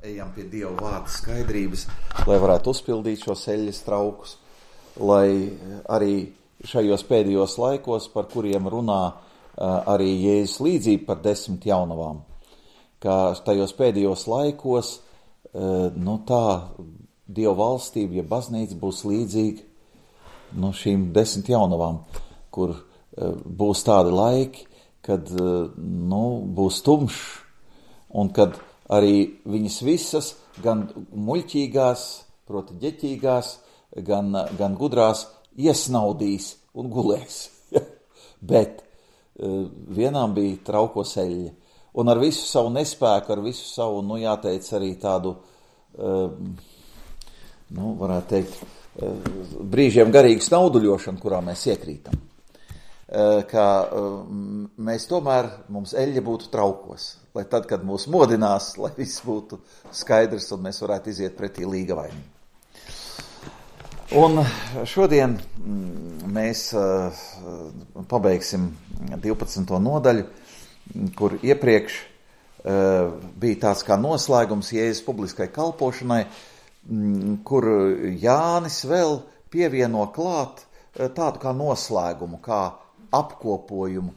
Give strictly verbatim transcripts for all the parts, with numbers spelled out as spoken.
ejam pie Dieva vārda skaidrības, lai varētu uzpildīt šos eļļas traukus, lai arī šajos pēdējos laikos, par kuriem runā arī Jēzus līdzība par desmit jaunavām, ka tajos pēdējos laikos, nu tā, Dieva valstība, ja baznīca būs līdzīga no šīm desmit jaunavām, kur būs tādi laiki, kad nu, būs tumšs, un kad arī viņas visas, gan muļķīgās, proti ģeķīgās, gan, gan gudrās, iesnaudīs un gulēs. Bet vienām bija traukos eļļa, un ar visu savu nespēku, ar visu savu, nu jāteic, arī tādu, nu, varētu teikt, brīžiem garīgu snauduļošanu, kurā mēs iekrītam. Ka mēs tomēr, mums eļļa būtu traukos, lai tad, kad mūs modinās, lai viss būtu skaidrs un mēs varētu iziet pretī līgavainī. Un šodien mēs pabeigsim divpadsmito nodaļu, kur iepriekš bija tāds kā noslēgums Jēzus publiskai kalpošanai, kur Jānis vēl pievieno klāt tādu kā noslēgumu, kā apkopojumu,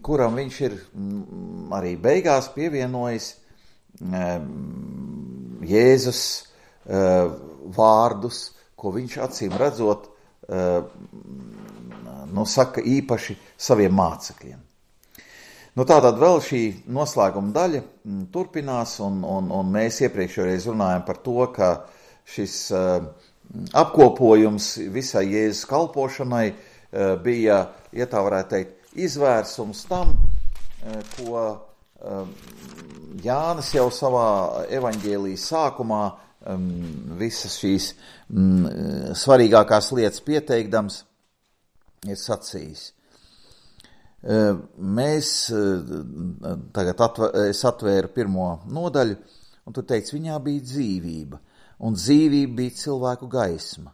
kuram viņš ir arī beigās pievienojis Jēzus vārdus, ko viņš acīm redzot, nu saka īpaši saviem mācekļiem. Nu tātad vēl šī noslēguma daļa turpinās, un, un, un mēs iepriekšējais runājam par to, ka šis apkopojums visai Jēzus kalpošanai bija, ja tā varētu teikt, izvērsums tam, ko Jānis jau savā evaņģēlijas sākumā visas šīs svarīgākās lietas pieteikdams ir sacījis. Mēs, tagad atver, es atvēru pirmo nodaļu, un tur teikts, viņā bija dzīvība, un dzīvība bija cilvēku gaisma.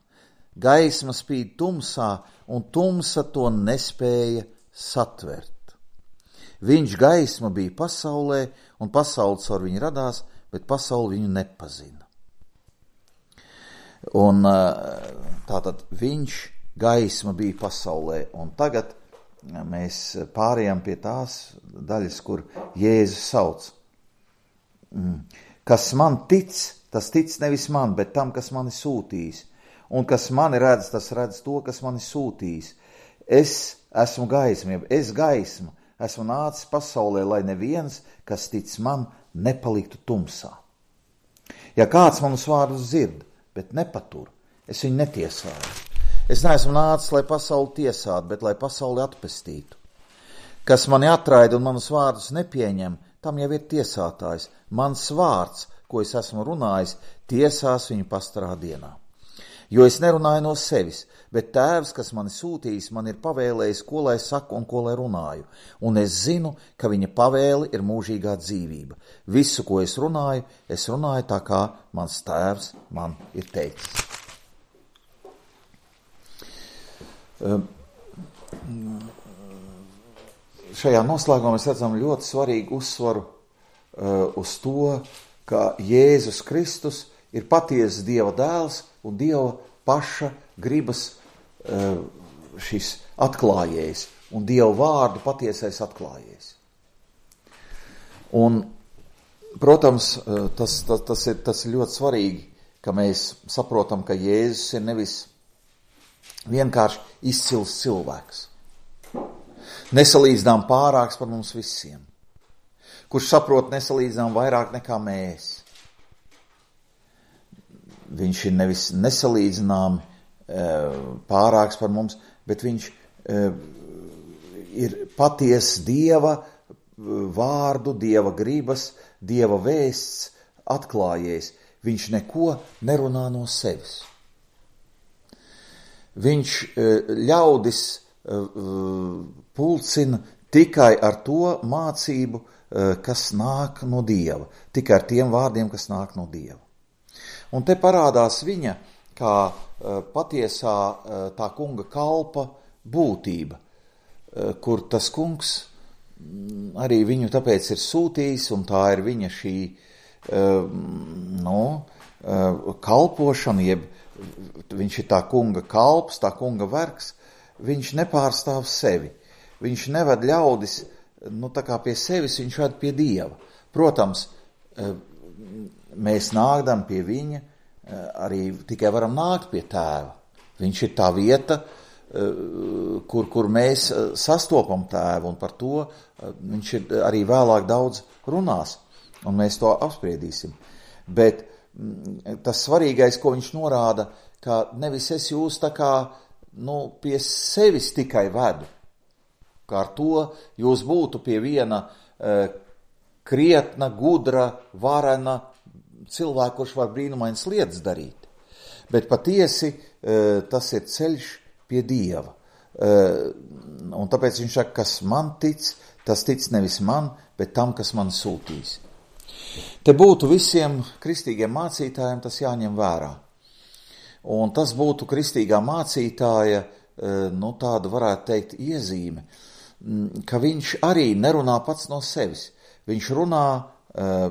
Gaisma spīd tumsā, un tumsa to nespēja satvert. Viņš gaisma bija pasaulē, un pasaules ar viņu radās, bet pasauli viņu nepazina. Un tātad viņš gaisma bija pasaulē, un tagad mēs pārējām pie tās daļas, kur Jēzus sauc. Kas man tic, tas tic nevis man, bet tam, kas mani sūtīs. Un kas mani redz, tas redz to, kas mani sūtīs. Es esmu gaisma, es gaisma, esmu nācis pasaulē, lai neviens, kas tic man, nepaliktu tumsā. Ja kāds manus vārdus dzird, bet nepatur, es viņu netiesāju. Es neesmu nācis, lai pasauli tiesātu, bet lai pasauli atpestītu. Kas mani atraida un manus vārdus nepieņem, tam jau ir tiesātājs. Mans vārds, ko es esmu runājis, tiesās viņu pastarā dienā. Jo es nerunāju no sevis, bet tēvs, kas mani sūtījis, man ir pavēlējis, ko lai saku un ko lai runāju. Un es zinu, ka viņa pavēle ir mūžīgā dzīvība. Visu, ko es runāju, es runāju tā, kā mans tēvs man ir teicis. Šajā noslēgumā mēs redzam ļoti svarīgu uzsvaru uz to, ka Jēzus Kristus ir patiesas Dieva dēls un Dieva paša gribas šis atklājējs un Dieva vārdu patiesais atklājējs. Un, protams, tas, tas, tas, ir, tas ir ļoti svarīgi, ka mēs saprotam, ka Jēzus ir nevis vienkārši izcils cilvēks. Nesalīdzinām pārāks par mums visiem, kurš saprot nesalīdzinām vairāk nekā mēs. Viņš ir nevis nesalīdzināmi pārāks par mums, bet viņš ir patiesa Dieva vārdu, Dieva gribas, Dieva vēsts atklājējs. Viņš neko nerunā no sevis. Viņš ļaudis pulcina tikai ar to mācību, kas nāk no Dieva, tikai ar tiem vārdiem, kas nāk no Dieva. Un te parādās viņa kā patiesā tā kunga kalpa būtība, kur tas kungs arī viņu tāpēc ir sūtījis, un tā ir viņa šī nu, kalpošanu, jeb viņš ir tā kunga kalps, tā kunga vergs, viņš nepārstāv sevi. Viņš neved ļaudis, nu tā kā pie sevis, viņš ved pie Dieva. Protams, mēs nākdam pie viņa, arī tikai varam nākt pie Tēva. Viņš ir tā vieta, kur, kur mēs sastopam Tēvu, un par to viņš ir arī vēlāk daudz runās, un mēs to apspriedīsim. Bet tas svarīgais, ko viņš norāda, ka nevis es jūs tā kā nu, pie sevis tikai vedu, kā ar to jūs būtu pie viena uh, krietna, gudra, varena cilvēka, kurš var brīnumainas lietas darīt. Bet patiesi uh, tas ir ceļš pie Dieva. Uh, un tāpēc viņš saka, kas man tic, tas tic nevis man, bet tam, kas man sūtīs. Te būtu visiem kristīgiem mācītājiem tas jāņem vērā. Un tas būtu kristīgā mācītāja, nu tāda varētu teikt iezīme, ka viņš arī nerunā pats no sevis. Viņš runā uh,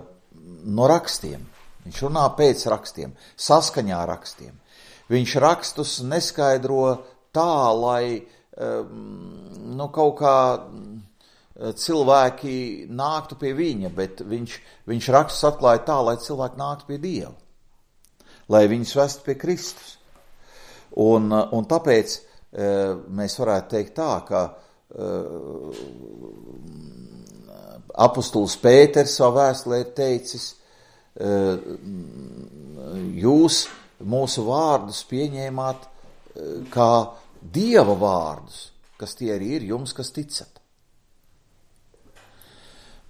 no rakstiem, viņš runā pēc rakstiem, saskaņā rakstiem. Viņš rakstus neskaidro tā, lai uh, nu, kaut kā cilvēki nāktu pie viņa, bet viņš, viņš rakstus atklāja tā, lai cilvēki nāktu pie Dieva, lai viņus vestu pie Kristus. Un, un tāpēc mēs varētu teikt tā, ka apostols Pēters savā vēstulē ir teicis, jūs mūsu vārdus pieņēmāt kā Dieva vārdus, kas tie arī ir jums, kas ticat.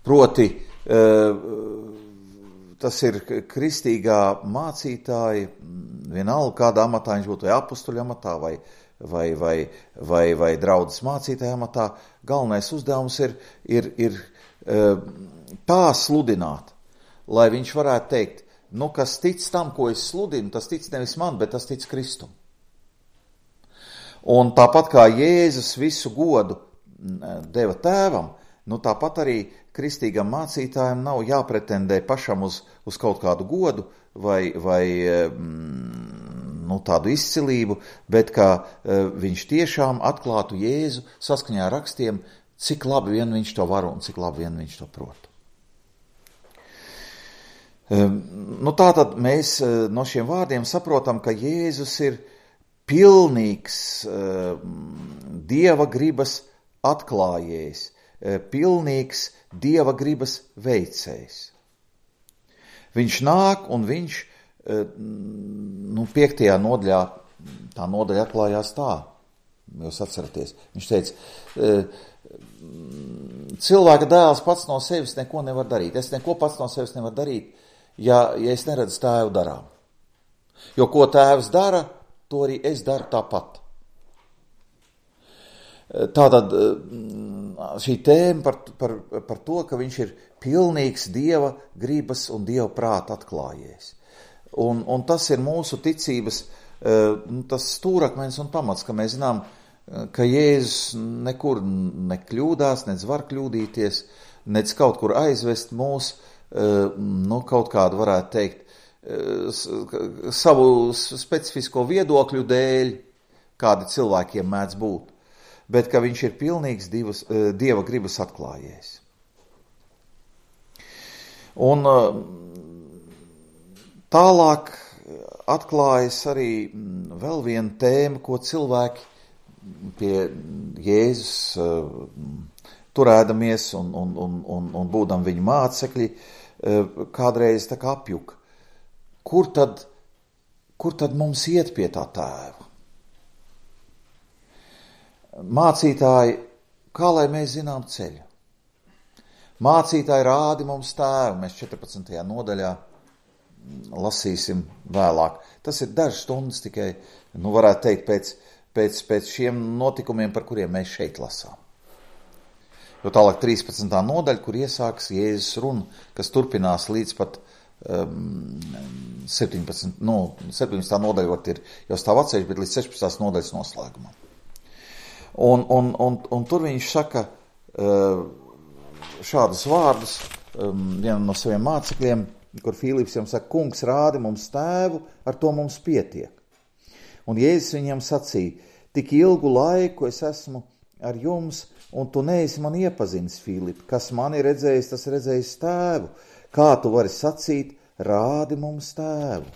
Proti, tas ir kristīgā mācītāja, vienalga kādā amatā viņš būtu, vai apustuļa amatā, vai, vai, vai, vai, vai draudzes mācītāja amatā, galvenais uzdevums ir, ir, ir tā sludināt, lai viņš varētu teikt, nu, kas tic tam, ko es sludinu, tas tic nevis man, bet tas tic Kristum. Un tāpat kā Jēzus visu godu deva Tēvam, nu tāpat arī kristīgam mācītājam nav jāpretendē pašam uz, uz kaut kādu godu vai, vai nu, tādu izcilību, bet kā viņš tiešām atklātu Jēzu saskaņā ar rakstiem, cik labi vien viņš to var un cik labi vien viņš to prot. Nu, tātad mēs no šiem vārdiem saprotam, ka Jēzus ir pilnīgs Dieva gribas atklājējs, pilnīgs Dieva gribas veicējs. Viņš nāk un viņš, nu, piektajā nodaļā, tā nodaļa atklājās tā, jūs atceraties, viņš teica, cilvēka dēls pats no sevis neko nevar darīt, es neko pats no sevis nevar darīt, ja, ja es neredzu tēvu darām. Jo ko tēvs dara, to arī es daru tāpat. Tātad šī tēma par, par, par to, ka viņš ir pilnīgs Dieva gribas un Dieva prāta atklājējs. Un, un tas ir mūsu ticības, tas stūrakmens un pamats, ka mēs zinām, ka Jēzus nekur nekļūdās, nec var kļūdīties, nec kaut kur aizvest mūs, nu, kaut kādu varētu teikt, savu specifisko viedokļu dēļ, kādi cilvēkiem mēdz būt. Bet ka viņš ir pilnīgs divas, Dieva gribas atklājējs. Un tālāk atklājas arī vēl viena tēma, ko cilvēki pie Jēzus turēdamies un, un, un, un, un būdam viņa mācekļi, kādreiz tā kā apjuka. Kur tad, kur tad mums iet pie tā Tēva? Mācītāji, kā lai mēs zinām ceļu? Mācītāji rādi mums Tēvu, mēs četrpadsmitajā nodaļā lasīsim vēlāk. Tas ir dažas stundas tikai, nu varētu teikt, pēc, pēc, pēc šiem notikumiem, par kuriem mēs šeit lasām. Jo tālāk trīspadsmitā nodaļa, kur iesāks Jēzus runa, kas turpinās līdz pat um, septiņpadsmitā nu, septiņpadsmitā nodaļa var ir jau stāv atsevišķi, bet līdz sešpadsmitās nodaļas noslēgumam. Un, un, un, un tur viņš saka uh, šādus vārdus um, vienam no saviem mācekļiem, kur Filips viņam saka, kungs rādi mums tēvu, ar to mums pietiek. Un Jēzus viņam sacīja, tik ilgu laiku es esmu ar jums, un tu neesi man iepazinis, Filip, kas mani redzējis, tas redzējis tēvu. Kā tu vari sacīt, rādi mums tēvu?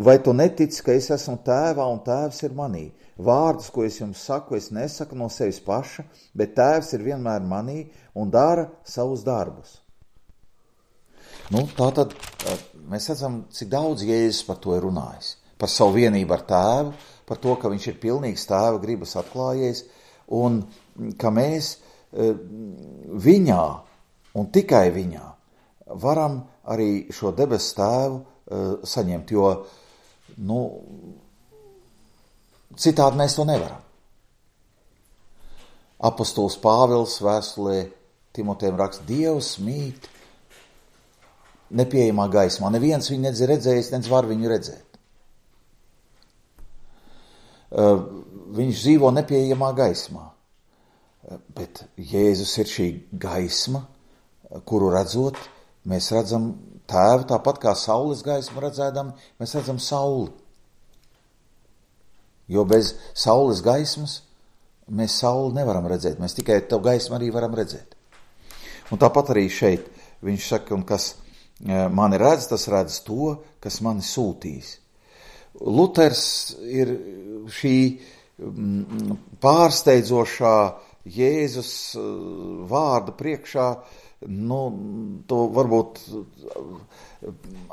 Vai tu netici, ka es esmu tēvā un tēvs ir manī? Vārdus, ko es jums saku, es nesaku no sevis paša, bet tēvs ir vienmēr manī un dara savus darbus. Nu, tātad mēs redzam, cik daudz Jēzus par to ir runājis. Par savu vienību ar tēvu, par to, ka viņš ir pilnīgs tēva gribas atklājies un ka mēs viņā un tikai viņā varam arī šo debesu tēvu saņemt, jo nu, citādi mēs to nevaram. Apostols Pāvils vēstulē Timotejam raksta, Dievs mīt nepieejamā gaismā. Neviens viņu nedz redzējis, nedz var viņu redzēt. Viņš dzīvo nepieejamā gaismā. Bet Jēzus ir šī gaisma, kuru redzot, mēs redzam tēvu, tāpat kā saules gaismu redzēdam, mēs redzam sauli. Jo bez saules gaismas mēs sauli nevaram redzēt, mēs tikai to gaismu arī varam redzēt. Un tāpat arī šeit viņš saka, un kas mani redz, tas redz to, kas mani sūtīs. Luters ir šī pārsteidzošā Jēzus vārda priekšā, nu, to varbūt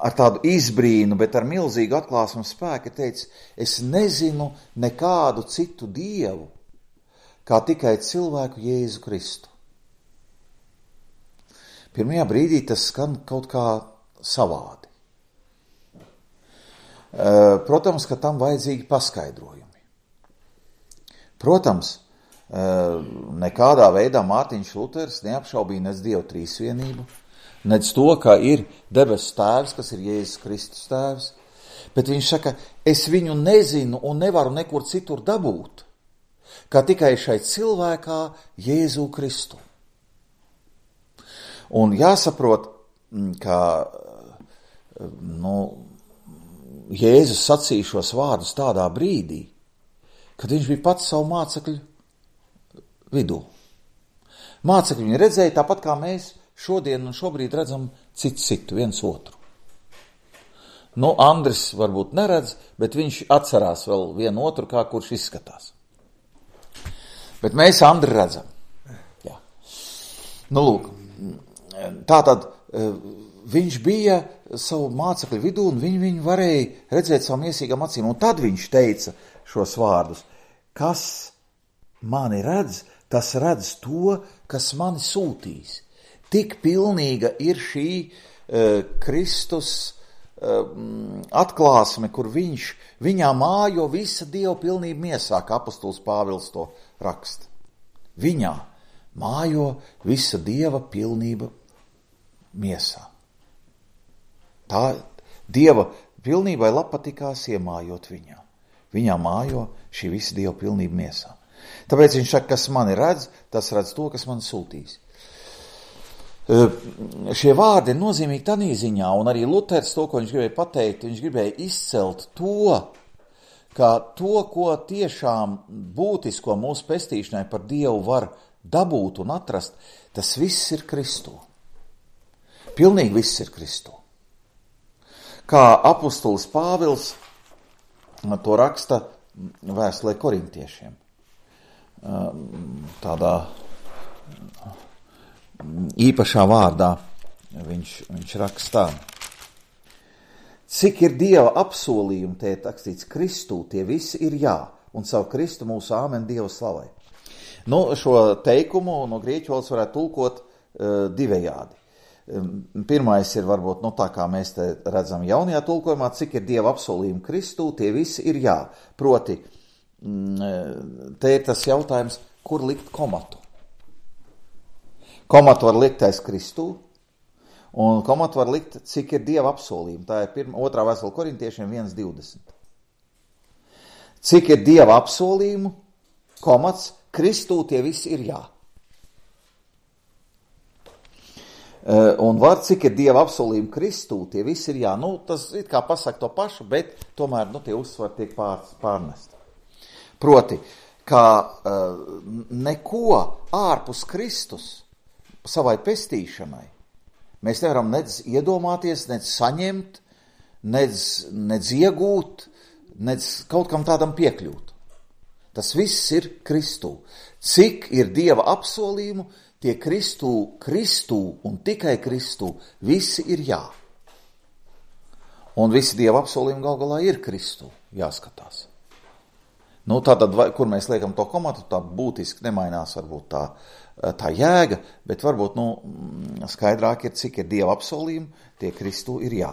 ar tādu izbrīnu, bet ar milzīgu atklāsmu spēku teica, es nezinu nekādu citu dievu, kā tikai cilvēku Jēzu Kristu. Pirmajā brīdī tas skan kaut kā savādi. Protams, ka tam vajadzīgi paskaidrojumi. Protams, nekādā veidā Mārtiņš Luters neapšaubīja nec Dievu trīsvienību, nec to, ka ir debesu tēvs, kas ir Jēzus Kristus tēvs, bet viņš saka, es viņu nezinu un nevaru nekur citur dabūt, kā tikai šai cilvēkā Jēzu Kristu. Un jāsaprot, ka nu, Jēzus sacīja šos vārdus tādā brīdī, kad viņš bija pats savu mācekļu vidū. Mācekļi viņu redzēja tāpat, kā mēs šodien un šobrīd redzam citu citu, viens otru. Nu, Andris varbūt neredz, bet viņš atcerās vēl vienu otru, kā kurš izskatās. Bet mēs Andri redzam. Jā. Nu, lūk, tātad viņš bija savu mācekļu vidū un viņi viņu varēja redzēt savu miesīgām acīm. Un tad viņš teica šos vārdus, kas mani redz, tas redz to, kas mani sūtīs. Tik pilnīga ir šī uh, Kristus uh, atklāsme, kur viņš, viņā mājo visa Dieva pilnība miesā, kā apostols Pāvils to raksta. Viņā mājo visa Dieva pilnība miesā. Tā Dieva pilnībai labpatikās iemājot viņā. Viņā mājo šī visa Dieva pilnība miesā. Tāpēc viņš saka, kas mani redz, tas redz to, kas mani sūtīs. Šie vārdi ir nozīmīgi tādā ziņā, un arī Luters to, ko viņš gribēja pateikt, viņš gribēja izcelt to, ka to, ko tiešām būtisko mūsu pestīšanai par Dievu var dabūt un atrast, tas viss ir Kristū. Pilnīgi viss ir Kristū. Kā apostolis Pāvils to raksta vēstulē korintiešiem. Tādā īpašā vārdā viņš, viņš rakstā. Cik ir Dieva apsolījumi, te ir rakstīts Kristū, tie visi ir jā, un savu Kristu mūsu āmen Dieva slavai. Nu, šo teikumu no grieķu valodas varētu tulkot uh, divējādi. Pirmais ir varbūt, nu tā kā mēs te redzam jaunajā tulkojumā, cik ir Dieva apsolījumi Kristū, tie visi ir jā. Proti, te ir tas jautājums, kur likt komatu. Komatu var likt aiz Kristū, un komatu var likt, cik ir Dieva apsolījumi. Tā ir pirma, otrā vēstule korintiešiem viens divdesmit. Cik ir Dieva apsolījumu, komats, Kristū tie visi ir jā. Un var, cik ir Dieva apsolījumi Kristū, tie visi ir jā, nu, tas it kā pasaka to pašu, bet tomēr, nu, tie uzsvari tiek pār, pārnesti. Proti, ka uh, neko ārpus Kristus savai pestīšanai mēs nevaram nedz iedomāties, nedz saņemt, nedz, nedz iegūt, nedz kaut kam tādam piekļūt. Tas viss ir Kristū. Cik ir Dieva apsolījumu, tie Kristū, Kristū un tikai Kristū, visi ir jā. Un visi Dieva apsolījumi gal galā ir Kristū, jāskatās. Nu, tātad, kur mēs liekam to komatu, tā būtiski nemainās varbūt tā, tā jēga, bet varbūt, nu, skaidrāk ir, cik ir Dieva apsolījumi, tie Kristū ir jā.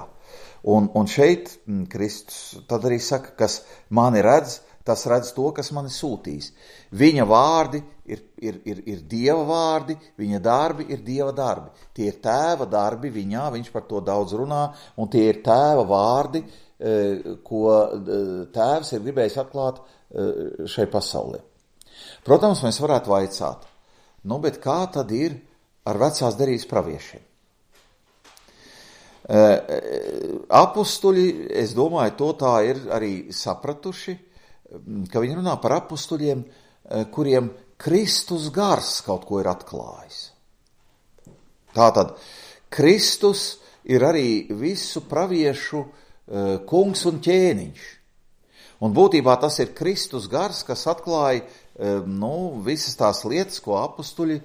Un, un šeit Kristus tad arī saka, kas mani redz, tas redz to, kas mani sūtīs. Viņa vārdi ir, ir, ir, ir Dieva vārdi, viņa darbi ir Dieva darbi. Tie ir tēva darbi viņā, viņš par to daudz runā, un tie ir tēva vārdi, ko tēvs ir gribējis atklāt šai pasaulē. Protams, mēs varētu vaicāt, nu, bet kā tad ir ar vecās derības praviešiem? Apustuļi, es domāju, to tā ir arī sapratuši, ka viņi runā par apustuļiem, kuriem Kristus gars kaut ko ir atklājis. Tātad, Kristus ir arī visu praviešu kungs un ķēniņš. Un būtībā tas ir Kristus gars, kas atklāja nu, visas tās lietas, ko apustuļi,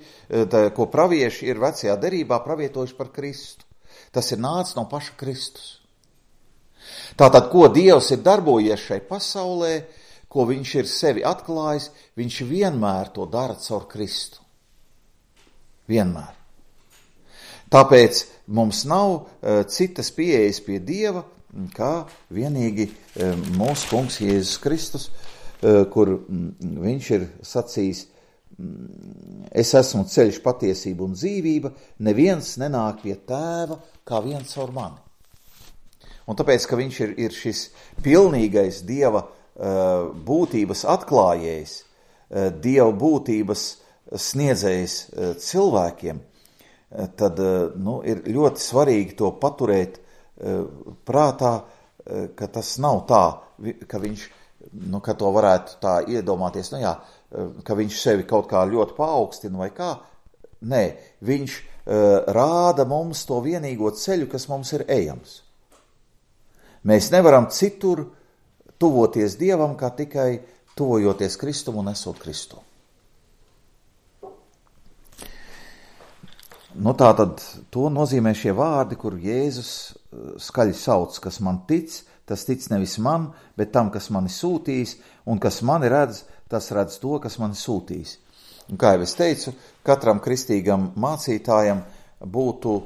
tā, ko pravieši ir vecajā derībā pravietojuši par Kristu. Tas ir nācis no paša Kristus. Tātad, ko Dievs ir darbojies šai pasaulē, ko viņš ir sevi atklājis, viņš vienmēr to dara caur Kristu. Vienmēr. Tāpēc mums nav uh, citas pieejas pie Dieva, kā vienīgi uh, mūsu kungs Jēzus Kristus, uh, kur mm, viņš ir sacījis, mm, es esmu ceļš, patiesība un dzīvība, neviens nenāk pie tēva, kā viens caur mani. Un tāpēc, ka viņš ir, ir šis pilnīgais Dieva būtības atklājējs, Dieva būtības sniedzējs cilvēkiem, tad nu, ir ļoti svarīgi to paturēt prātā, ka tas nav tā, ka viņš, nu, ka to varētu tā iedomāties, nu jā, ka viņš sevi kaut kā ļoti paaugstina vai kā. Nē, viņš rāda mums to vienīgo ceļu, kas mums ir ejams. Mēs nevaram citur tuvoties Dievam, kā tikai tuvojoties Kristum un esot Kristu. Nu tā tad to nozīmē šie vārdi, kur Jēzus skaļi sauc, kas man tic, tas tic nevis man, bet tam, kas mani sūtīs, un kas mani redz, tas redz to, kas mani sūtīs. Un kā jau es teicu, katram kristīgam mācītājam būtu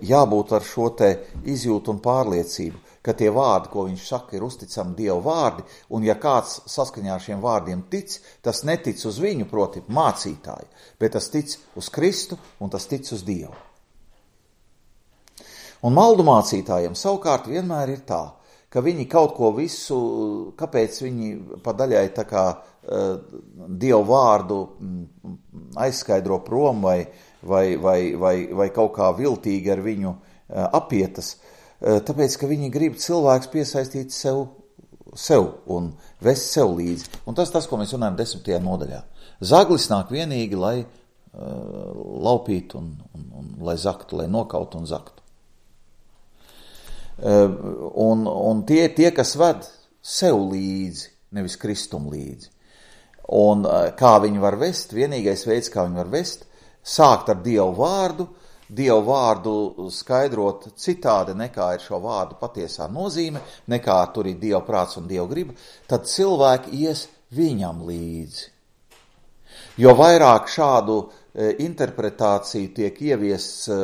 jābūt ar šo te izjūtu un pārliecību, ka tie vārdi, ko viņš saka, ir uzticami Dieva vārdi, un ja kāds saskaņā ar šiem vārdiem tic, tas netic uz viņu, proti mācītāju, bet tas tic uz Kristu un tas tic uz Dievu. Un maldu mācītājiem savukārt vienmēr ir tā, ka viņi kaut ko visu, kāpēc viņi pa daļai tā kā uh, Dievu vārdu aizskaidro prom vai, vai, vai, vai, vai kaut kā viltīgi ar viņu uh, apietas, tāpēc, ka viņi grib cilvēks piesaistīt sev, sev un vest sev līdzi. Un tas tas, ko mēs runājam desmitajā nodaļā. Zaglis nāk vienīgi, lai uh, laupītu un, un, un lai zaktu, lai nokautu un zaktu. Uh, un, un tie, tie, kas ved sev līdzi, nevis Kristum līdzi. Un uh, kā viņi var vest, vienīgais veids, kā viņi var vest, sākt ar Dievu vārdu, Dievu vārdu skaidrot citādi nekā ir šo vārdu patiesā nozīme, nekā tur ir Dieva prāts un Dieva griba, tad cilvēki ies viņam līdzi. Jo vairāk šādu e, interpretāciju tiek ieviests e,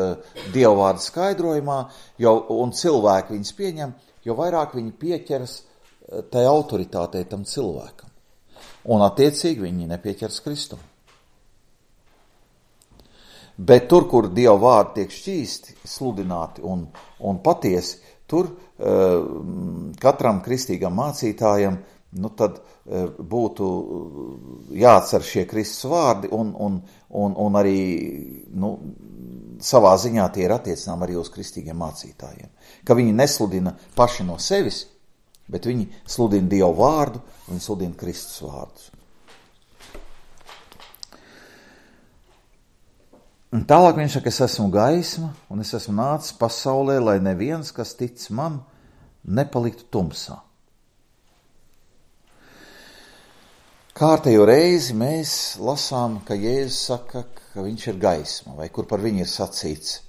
Dieva vārdu skaidrojumā, jo, un cilvēki viņus pieņem, jo vairāk viņi pieķeras e, tai autoritātei tam cilvēkam. Un attiecīgi viņi nepieķeras Kristum. Bet tur, kur Dieva vārdi tiek šķīsti, sludināti un, un patiesi, tur uh, katram kristīgam mācītājam nu tad būtu jāatcer šie Kristus vārdi un, un, un, un arī nu, savā ziņā tie ir attiecinām arī uz kristīgiem mācītājiem. Ka viņi nesludina paši no sevis, bet viņi sludina Dievu vārdu, viņi sludina Kristus vārdus. Un tālāk viņš saka, es esmu gaisma, un es esmu nācis pasaulē, lai neviens, kas tic man, nepaliktu tumsā. Kārtējo reizi mēs lasām, ka Jēzus saka, ka viņš ir gaisma, vai kur par viņu ir sacīts,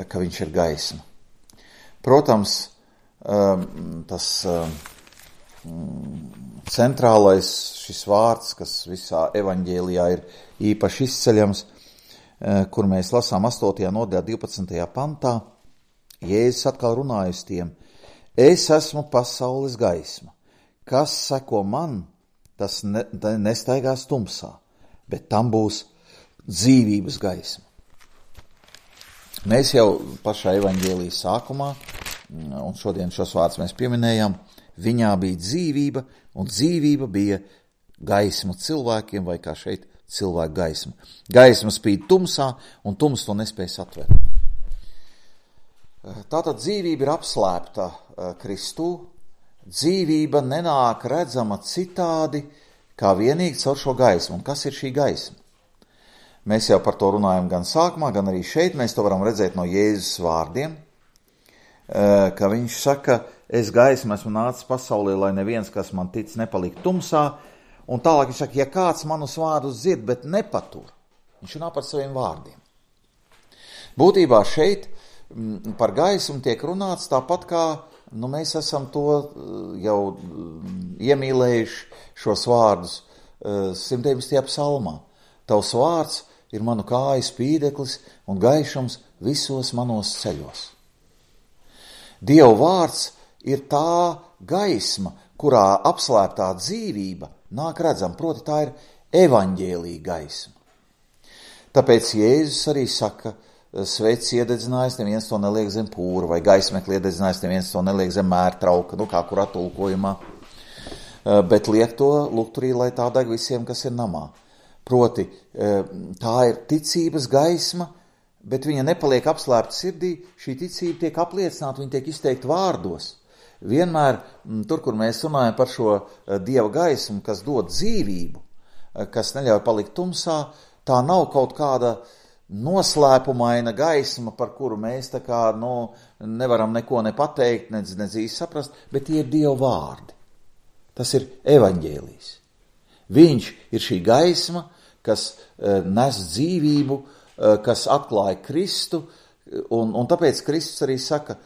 ka viņš ir gaisma. Protams, tas centrālais šis vārds, kas visā evaņģēlijā ir īpaši izceļams, kur mēs lasām astotajā nodaļā divpadsmitajā pantā, Jēzus atkal runāja uz tiem, es esmu pasaules gaisma, kas seko man, tas ne, nestaigās tumsā, bet tam būs dzīvības gaisma. Mēs jau pašā evaņģēlijas sākumā, un šodien šos vārdus mēs pieminējām, viņā bija dzīvība, un dzīvība bija gaisma cilvēkiem, vai kā šeit cilvēku gaisma. Gaisma spīd tumsā, un tums to nespēj atvērt. Tātad dzīvība ir apslēpta Kristū, dzīvība nenāk redzama citādi, kā vienīgi caur šo gaismu. Un kas ir šī gaisma? Mēs jau par to runājam gan sākumā, gan arī šeit. Mēs to varam redzēt no Jēzus vārdiem, ka viņš saka, es gaismu esmu nācis pasaulē, lai neviens, kas man tic, nepalikt tumsā. Un tālāk viņš saka, ja kāds manus vārdus dzird, bet nepatur, viņš runā par saviem vārdiem. Būtībā šeit par gaismu tiek runāts tāpat kā, nu mēs esam to jau iemīlējuši šos vārdus simt deviņdesmitajā psalmā. Tavs vārds ir manu kāju spīdeklis un gaišums visos manos ceļos. Dieva vārds ir tā gaisma, kurā apslēptā dzīvība nāk redzam, proti tā ir evaņģēlija gaisma. Tāpēc Jēzus arī saka, sveicis iededzinājis, neviens to neliek zem pūra, vai gaismekli iededzinājis, neviens to neliek zem mērtrauka, nu kā kur atulkojumā, bet liek to lukturī, lai tā deg visiem, kas ir namā. Proti, tā ir ticības gaisma, bet viņa nepaliek apslēpta sirdī, šī ticība tiek apliecināta, viņa tiek izteikta vārdos. Vienmēr tur, kur mēs runājam par šo Dieva gaismu, kas dod dzīvību, kas neļauj palikt tumsā, tā nav kaut kāda noslēpumaina gaisma, par kuru mēs tā kā nu, nevaram neko ne pateikt, ne, ne dzīvi saprast, bet tie ir Dieva vārdi. Tas ir evaņģēlijs. Viņš ir šī gaisma, kas nes dzīvību, kas atklāja Kristu, un, un tāpēc Kristus arī saka,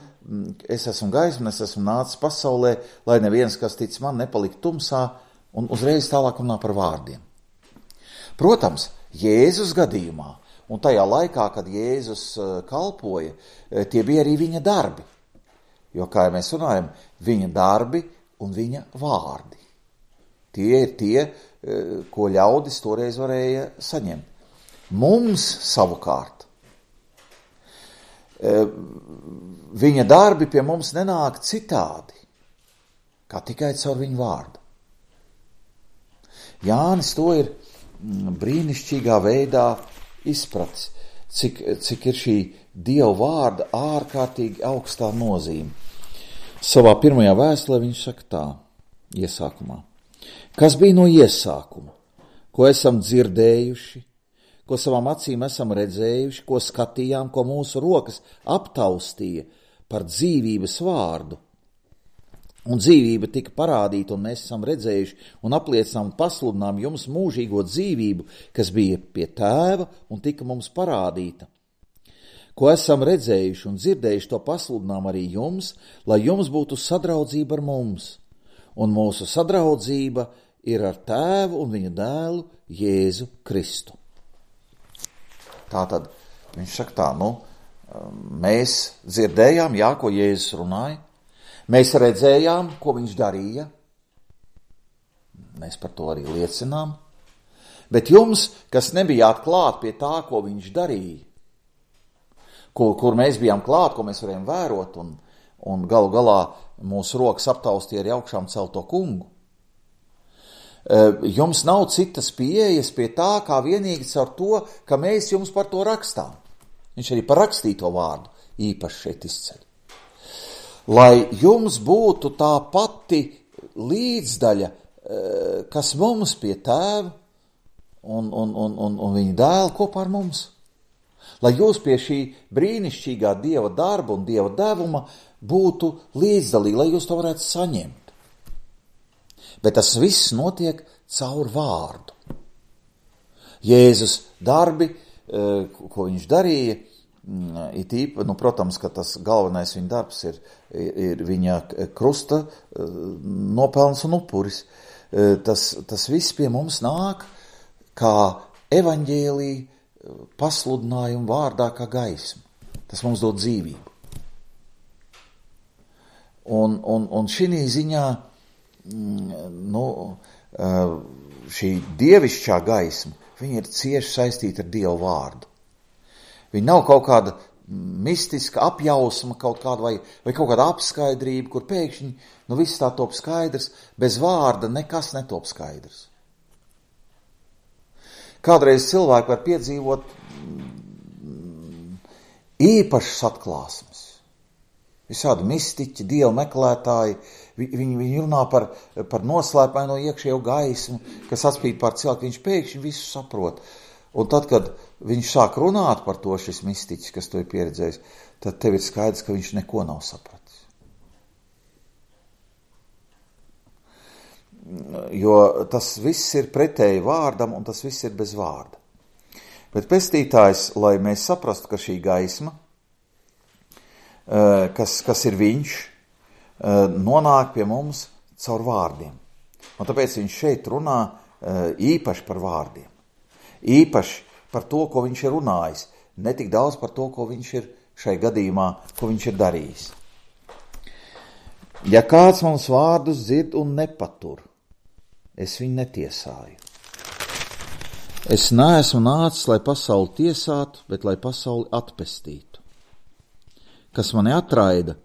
es esmu gaisma, es esmu nācis pasaulē, lai neviens, kas tic man, nepalikt tumsā, un uzreiz tālāk runā par vārdiem. Protams, Jēzus gadījumā, un tajā laikā, kad Jēzus kalpoja, tie bija arī viņa darbi. Jo, kā jau mēs runājam, viņa darbi un viņa vārdi. Tie ir tie, ko ļaudis toreiz varēja saņemt. Mums savukārt, viņa darbi pie mums nenāk citādi, kā tikai caur viņu vārdu. Jānis to ir brīnišķīgā veidā izpratis, cik, cik ir šī Dieva vārda ārkārtīgi augstā nozīme. Savā pirmajā vēstulē viņš saka tā, iesākumā. Kas bija no iesākuma, ko esam dzirdējuši, ko savām acīm esam redzējuši, ko skatījām, ko mūsu rokas aptaustīja par dzīvības vārdu. Un dzīvība tika parādīta, un mēs esam redzējuši un apliecinām un pasludinām jums mūžīgo dzīvību, kas bija pie tēva un tika mums parādīta. Ko esam redzējuši un dzirdējuši, to pasludinām arī jums, lai jums būtu sadraudzība ar mums. Un mūsu sadraudzība ir ar tēvu un viņa dēlu Jēzu Kristu. Tātad viņš saka tā, nu, mēs dzirdējām, jā, ko Jēzus runāja, mēs redzējām, ko viņš darīja, mēs par to arī liecinām, bet jums, kas nebijāt klāt pie tā, ko viņš darīja, kur, kur mēs bijām klāt, ko mēs varējām vērot, un, un galu galā mūsu rokas aptaustīja arī augšām celto kungu, Jums nav citas pieejas pie tā, kā vienīgi caur to, ka mēs jums par to rakstām. Viņš arī par rakstīto vārdu īpaši šeit izceļ. Lai jums būtu tā pati līdzdaļa, kas mums pie tēva un, un, un, un, un viņa dēla kopā ar mums. Lai jūs pie šī brīnišķīgā Dieva darba un Dieva devuma būtu līdzdalīgi, lai jūs to varētu saņemt. Bet tas viss notiek caur vārdu. Jēzus darbi, ko viņš darīja, it īpa, nu, protams, ka tas galvenais viņa darbs ir, ir viņa krusta nopelns un upuris. Tas, tas viss pie mums nāk kā evaņģēlija pasludinājumu vārdā kā gaisma. Tas mums dod dzīvību. Un, un, un šī ziņā nu, šī dievišķā gaisma, viņa ir cieši saistīta ar Dievu vārdu. Viņa nav kaut kāda mistiska apjausma kaut kāda vai, vai kaut kāda apskaidrība, kur pēkšņi nu viss tā top skaidrs, bez vārda nekas netop skaidrs. Kādreiz cilvēki var piedzīvot īpašas atklāsmes. Visādi mistiķi, dievu meklētāji, viņi, viņi runā par, par noslēpaino iekšējo gaismu, kas atspīd pār cilvēku, viņš pēkšņi visu saprot. Un tad, kad viņš sāk runāt par to, šis mistiķis, kas to ir pieredzējis, tad tev ir skaidrs, ka viņš neko nav sapratis. Jo tas viss ir pretēji vārdam, un tas viss ir bez vārda. Bet pestītājs, lai mēs saprastu, ka šī gaisma, kas, kas ir viņš, nonāk pie mums caur vārdiem. Un tāpēc viņš šeit runā īpaši par vārdiem. Īpaši par to, ko viņš ir runājis. Ne tik daudz par to, ko viņš ir šai gadījumā, ko viņš ir darījis. Ja kāds mums vārdus dzird un nepatur, es viņu netiesāju. Es neesmu nācis, lai pasauli tiesātu, bet lai pasauli atpestītu. Kas mani atraida,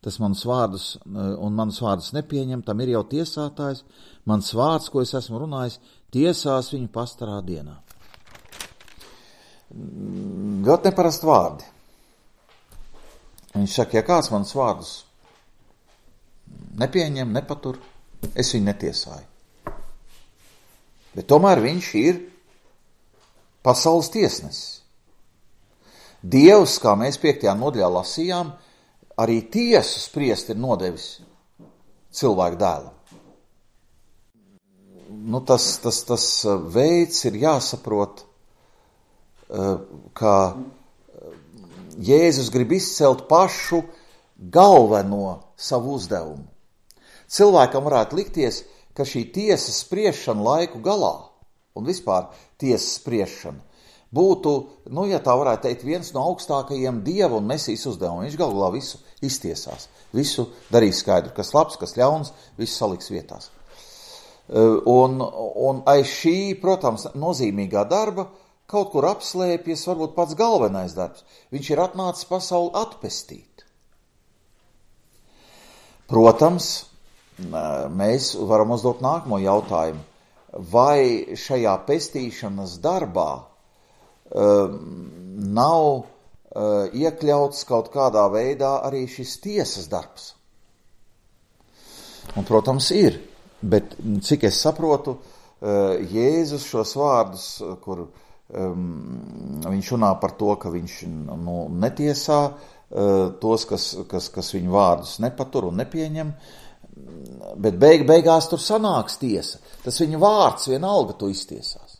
tas manus vārdus un manus vārdus nepieņem, tam ir jau tiesātājs, mans vārds, ko es esmu runājis, tiesās viņu pastarā dienā. Ļoti neparasti vārdi. Viņš saka, ja kāds manus vārdus nepieņem, nepatur, es viņu netiesāju. Bet tomēr viņš ir pasaules tiesnesis. Dievs, kā mēs piektajā nodaļā lasījām, arī tiesu spriest ir nodevis cilvēku dēlam. Nu, tas, tas, tas veids ir jāsaprot, ka Jēzus grib izcelt pašu galveno savu uzdevumu. Cilvēkam varētu likties, ka šī tiesas spriešana laiku galā un vispār tiesas spriešana būtu, nu, ja tā varētu teikt, viens no augstākajiem Dieva un Mesijas uzdevumiem. Viņš galu galā visu iztiesās, visu darīs skaidru, kas labs, kas ļauns, visu saliks vietās. Un, un aiz šī, protams, nozīmīgā darba kaut kur apslēpjas varbūt pats galvenais darbs. Viņš ir atnācis pasauli atpestīt. Protams, mēs varam uzdot nākamo jautājumu. Vai šajā pestīšanas darbā um, nav uh, iekļauts kaut kādā veidā arī šis tiesas darbs? Un, protams, ir. Bet, cik es saprotu, uh, Jēzus šos vārdus, kur um, viņš runā par to, ka viņš nu, netiesā uh, tos, kas, kas, kas viņu vārdus nepatur un nepieņem, bet beig, beigās tur sanāks tiesa. Tas viņa vārds vienalga to iztiesās.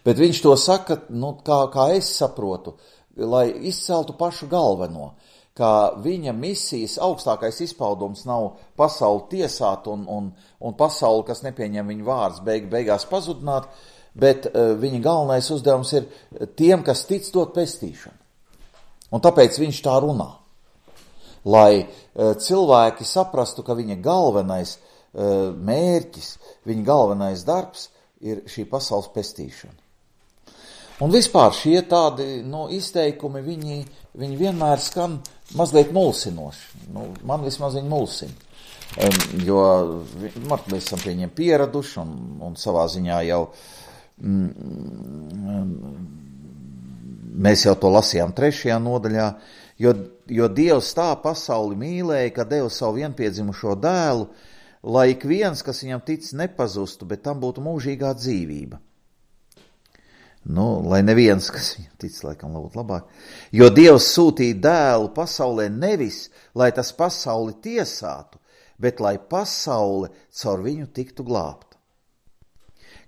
Bet viņš to saka, nu, kā, kā es saprotu, lai izceltu pašu galveno, ka viņa misijas augstākais izpaudums nav pasauli tiesāt un, un, un pasauli, kas nepieņem viņa vārds, beig, beigās pazudināt, bet uh, viņa galvenais uzdevums ir tiem, kas tic dot pestīšanu. Un tāpēc viņš tā runā. Lai uh, cilvēki saprastu, ka viņa galvenais uh, mērķis, viņa galvenais darbs ir šī pasaules pestīšana. Un vispār šie tādi nu, izteikumi, viņi, viņi vienmēr skan mazliet mulsinoši. Nu, man vismaz viņi mulsina. jo mēs esam pie viņiem pieraduši un, un savā ziņā jau mm, mēs jau to lasījām trešajā nodaļā, jo, jo Dievs tā pasauli mīlēja, ka deva savu vienpiedzimušo dēlu, lai ik viens, kas viņam tic, nepazustu, bet tam būtu mūžīgā dzīvība. Nu, lai neviens, kas viņam tic, laikam būtu labāk. Jo Dievs sūtīja dēlu pasaulē nevis, lai tas pasauli tiesātu, bet lai pasaule caur viņu tiktu glābta.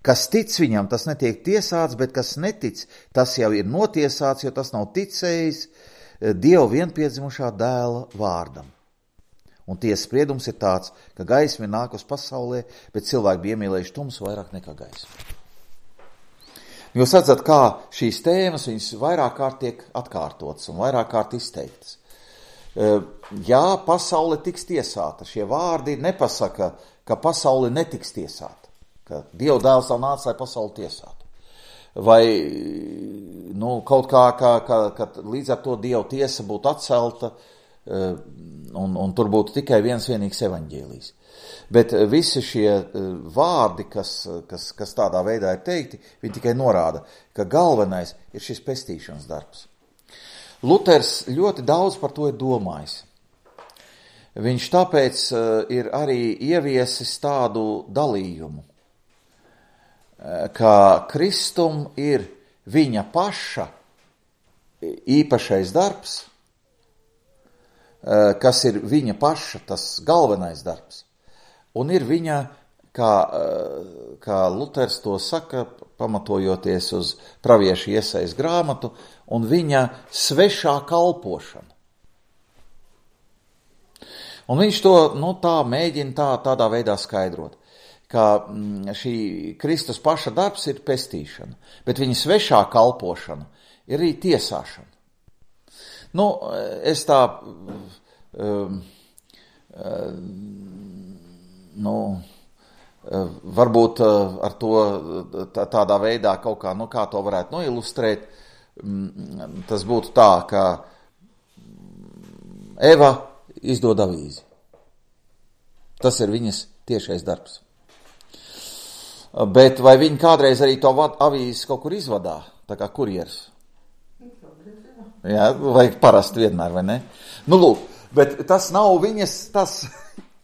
Kas tic viņam, tas netiek tiesāts, bet kas netic, tas jau ir notiesāts, jo tas nav ticējis Dieva vienpiedzimušā dēla vārdam. Un tiesas spriedums ir tāds, ka gaisma ir nākus pasaulē, bet cilvēki bija iemīlējuši tumsu vairāk nekā gaismu. Jūs redzat, kā šīs tēmas viņas vairāk kārt tiek atkārtotas un vairāk kārt izteiktas. Jā, pasaule tiks tiesāta. Šie vārdi nepasaka, ka pasaule netiks tiesāta, ka Dieva dēls nav nācis, lai pasauli tiesātu. Vai nu, kaut kā, kā, kā, ka līdz ar to Dieva tiesa būtu atcelta un, un tur būtu tikai viens vienīgs evaņģēlijs. Bet visi šie vārdi, kas, kas, kas tādā veidā ir teikti, viņi tikai norāda, ka galvenais ir šis pestīšanas darbs. Luters ļoti daudz par to ir domājis. Viņš tāpēc ir arī ieviesis tādu dalījumu, ka Kristum ir viņa paša īpašais darbs, kas ir viņa paša tas galvenais darbs. Un ir viņa, kā, kā Luters to saka, pamatojoties uz praviešu Iesajas grāmatu, un viņa svešā kalpošana. Un viņš to nu, tā mēģina tā, tādā veidā skaidrot, ka šī Kristus paša darbs ir pestīšana, bet viņa svešā kalpošana ir arī tiesāšana. Nu, es tā... Um, um, Nu, varbūt ar to tādā veidā kaut kā, nu kā to varētu noilustrēt, tas būtu tā, ka Eva izdod avīzi. Tas ir viņas tiešais darbs. Bet vai viņa kādreiz arī to avīzi kaut kur izvadā, tā kā kurjeris? Jā, vai parasti vienmēr, vai ne? Nu, lūk, bet tas nav viņas, tas...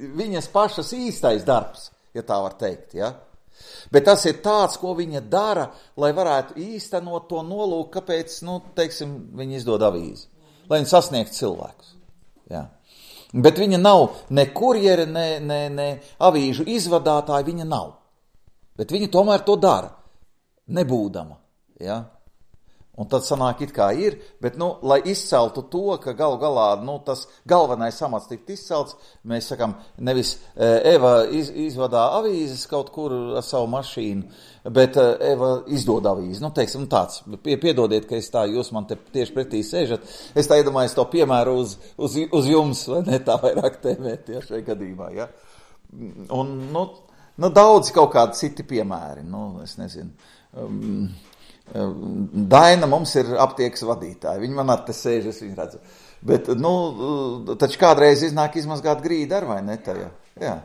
viņas pašas īstais darbs, ja tā var teikt, ja? Bet tas ir tāds, ko viņa dara, lai varētu īstenot to nolūku, kāpēc, nu, teiksim, viņa izdod avīzi, lai viņa sasniegtu cilvēkus, ja? Bet viņa nav ne kurjere, ne, ne, ne avīžu izvadātāja, viņa nav. Bet viņa tomēr to dara, nebūdama, ja? Un tad sanāk it kā ir, bet, nu, lai izceltu to, ka galu galā, nu, tas galvenais amats tikt izcelts, mēs sakam, nevis Eva iz, izvadā avīzes kaut kur ar savu mašīnu, bet Eva izdod avīzi. Nu, teiksim, tāds, piedodiet, ka es tā, jūs man te tieši pretī sēžat, es tā iedomājos to piemēru uz, uz, uz jums, vai ne, tā vairāk tēmēt, ja, šajā gadījumā, ja. Un, nu, nu, daudz kaut kādi citi piemēri, nu, es nezinu, um, Daina mums ir aptiekas vadītāja, viņa man ar te sēž, es viņu redzu. Bet, nu, taču kādreiz iznāk izmazgāt grīdu ar vai ne tajā, jā.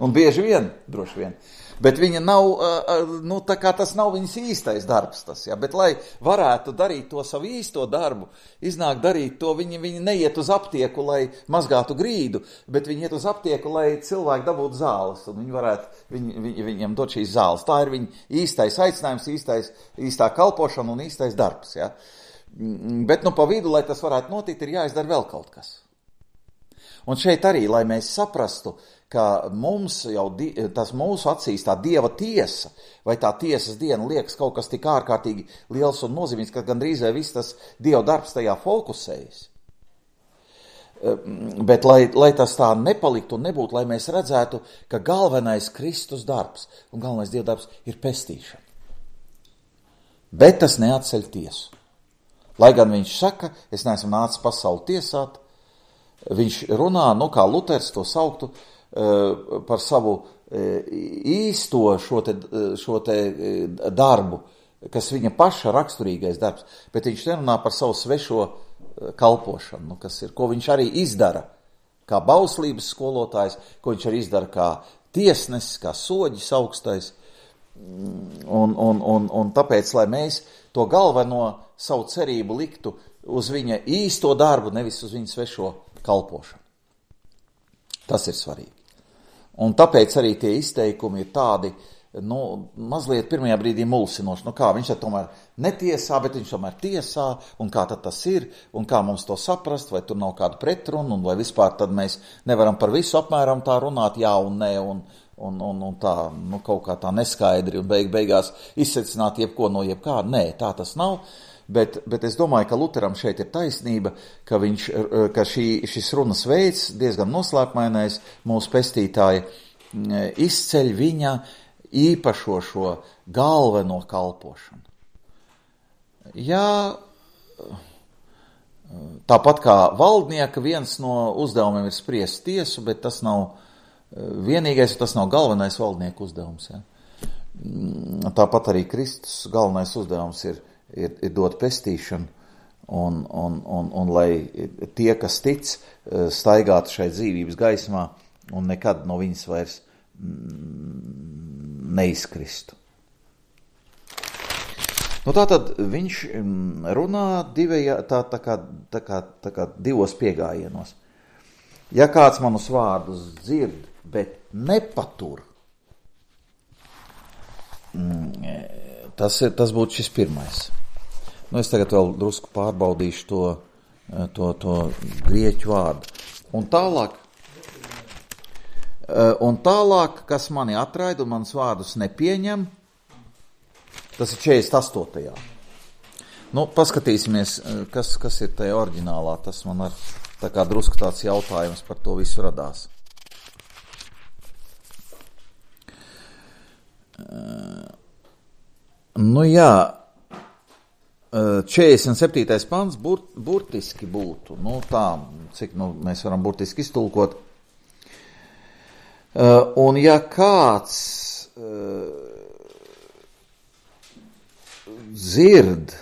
Un bieži vien, droši vien. Bet viņa nav, nu, tā kā tas nav viņas īstais darbs tas, jā. Bet, lai varētu darīt to savu īsto darbu, iznāk darīt to, viņa, viņa neiet uz aptieku, lai mazgātu grīdu, bet viņa iet uz aptieku, lai cilvēki dabūtu zāles, un viņi varētu, viņ, viņ, viņam dot šīs zāles. Tā ir viņa īstais aicinājums, īstais, īstā kalpošana un īstais darbs, jā. Bet, nu, pa vidu, lai tas varētu notikt, ir jāizdara vēl kaut kas. Un šeit arī, lai mēs saprastu, ka mums jau, tas mūsu acīs tā Dieva tiesa, vai tā tiesas diena liekas kaut kas tik ārkārtīgi liels un nozīmīgs, ka gandrīz vai viss tas Dieva darbs tajā fokusējas. Bet lai, lai tas tā nepaliktu un nebūtu, lai mēs redzētu, ka galvenais Kristus darbs un galvenais Dieva darbs ir pestīšana. Bet tas neatceļ tiesu. Lai gan viņš saka, es neesmu nācis pasauli tiesāt, viņš runā, nu kā Luters to sauktu, par savu īsto šo te, šo te darbu, kas viņa paša raksturīgais darbs, bet viņš nerunā par savu svešo kalpošanu, nu, kas ir, ko viņš arī izdara, kā bauslības skolotājs, ko viņš arī izdara kā tiesnesis, kā soģis augstais. Un, un, un, un tāpēc, lai mēs to galveno savu cerību liktu uz viņa īsto darbu, nevis uz viņa svešo kalpošanu. Tas ir svarīgi. Un tāpēc arī tie izteikumi ir tādi, nu, mazliet pirmajā brīdī mulsinoši. Nu kā, viņš tad tomēr netiesā, bet viņš tomēr tiesā, un kā tad tas ir, un kā mums to saprast, vai tur nav kāda pretruna, un vai vispār tad mēs nevaram par visu apmēram tā runāt, jā un nē, un, un, un, un tā, nu, kaut kā tā neskaidri, un beig, beigās izsecināt jebko no jebkā. Nē, tā tas nav. Bet, bet es domāju, ka Luteram šeit ir taisnība, ka, viņš, ka šī, šis runas veids, diezgan noslēpmainais, mūsu pestītāja, izceļ viņa īpašo šo galveno kalpošanu. Jā, tāpat kā valdnieka viens no uzdevumiem ir spriest tiesu, bet tas nav vienīgais, tas nav galvenais valdnieku uzdevums. Ja? Tāpat arī Kristus galvenais uzdevums ir Ir, ir dot pestīšanu, un, un, un, un lai tie, kas tic, staigātu šai dzīvības gaismā un nekad no viņas vairs neizkristu. Nu, tātad viņš runā divajā, tā, tā, kā, tā, kā, tā kā divos piegājienos. Ja kāds manus vārdus dzird, bet nepatur, tas, ir, tas būtu šis pirmais. Nu, es tagad vēl drusku pārbaudīšu to, to, to grieķu vārdu. Un tālāk, un tālāk, kas mani atraida un manas vārdus nepieņem, tas ir četrdesmit astotajā. Nu, paskatīsimies, kas, kas ir tajā oriģinālā. Tas man ar tā kā drusku tāds jautājums par to visu radās. Nu jā, četrdesmit septītais pants bur, burtiski būtu, nu tā, cik nu, mēs varam burtiski iztulkot. Un ja kāds dzird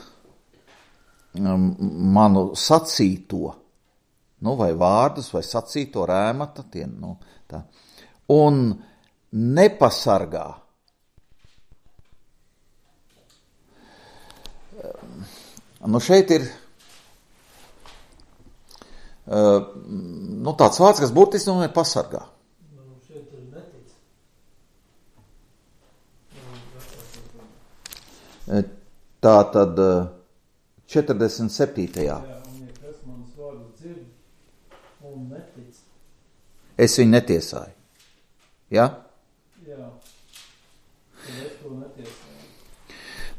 manu sacīto, nu vai vārdus, vai sacīto rēmata, tie, nu, tā, un nepasargā, nu šeit ir uh, nu tāds vārds, kas burtiski nu ir pasargā. Nu, šeit ir netic. Tā tad četrdesmit septītajā. Jā, un ja kas manas vārdus dzird un netic. Es viņu netiesāju. Ja? Jā. Tad es to netiesāju.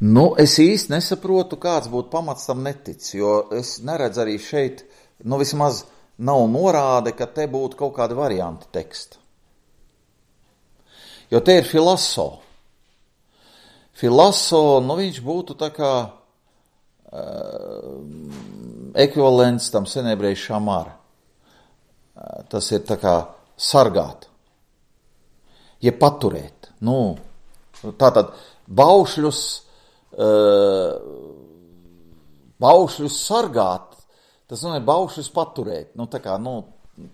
Nu, es īsti nesaprotu, kāds būtu pamats tam netic, jo es neredzu arī šeit, nu vismaz nav norāde, ka te būtu kaut kādi varianti teksta. Jo te ir filaso. Filaso, nu viņš būtu tā kā uh, ekvivalents tam senebreju šamar. Uh, tas ir tā kā sargāt. Ja paturēt. Nu, tātad baušļus baušļus sargāt, tas nozīmē baušļus paturēt. Nu, tā kā, nu,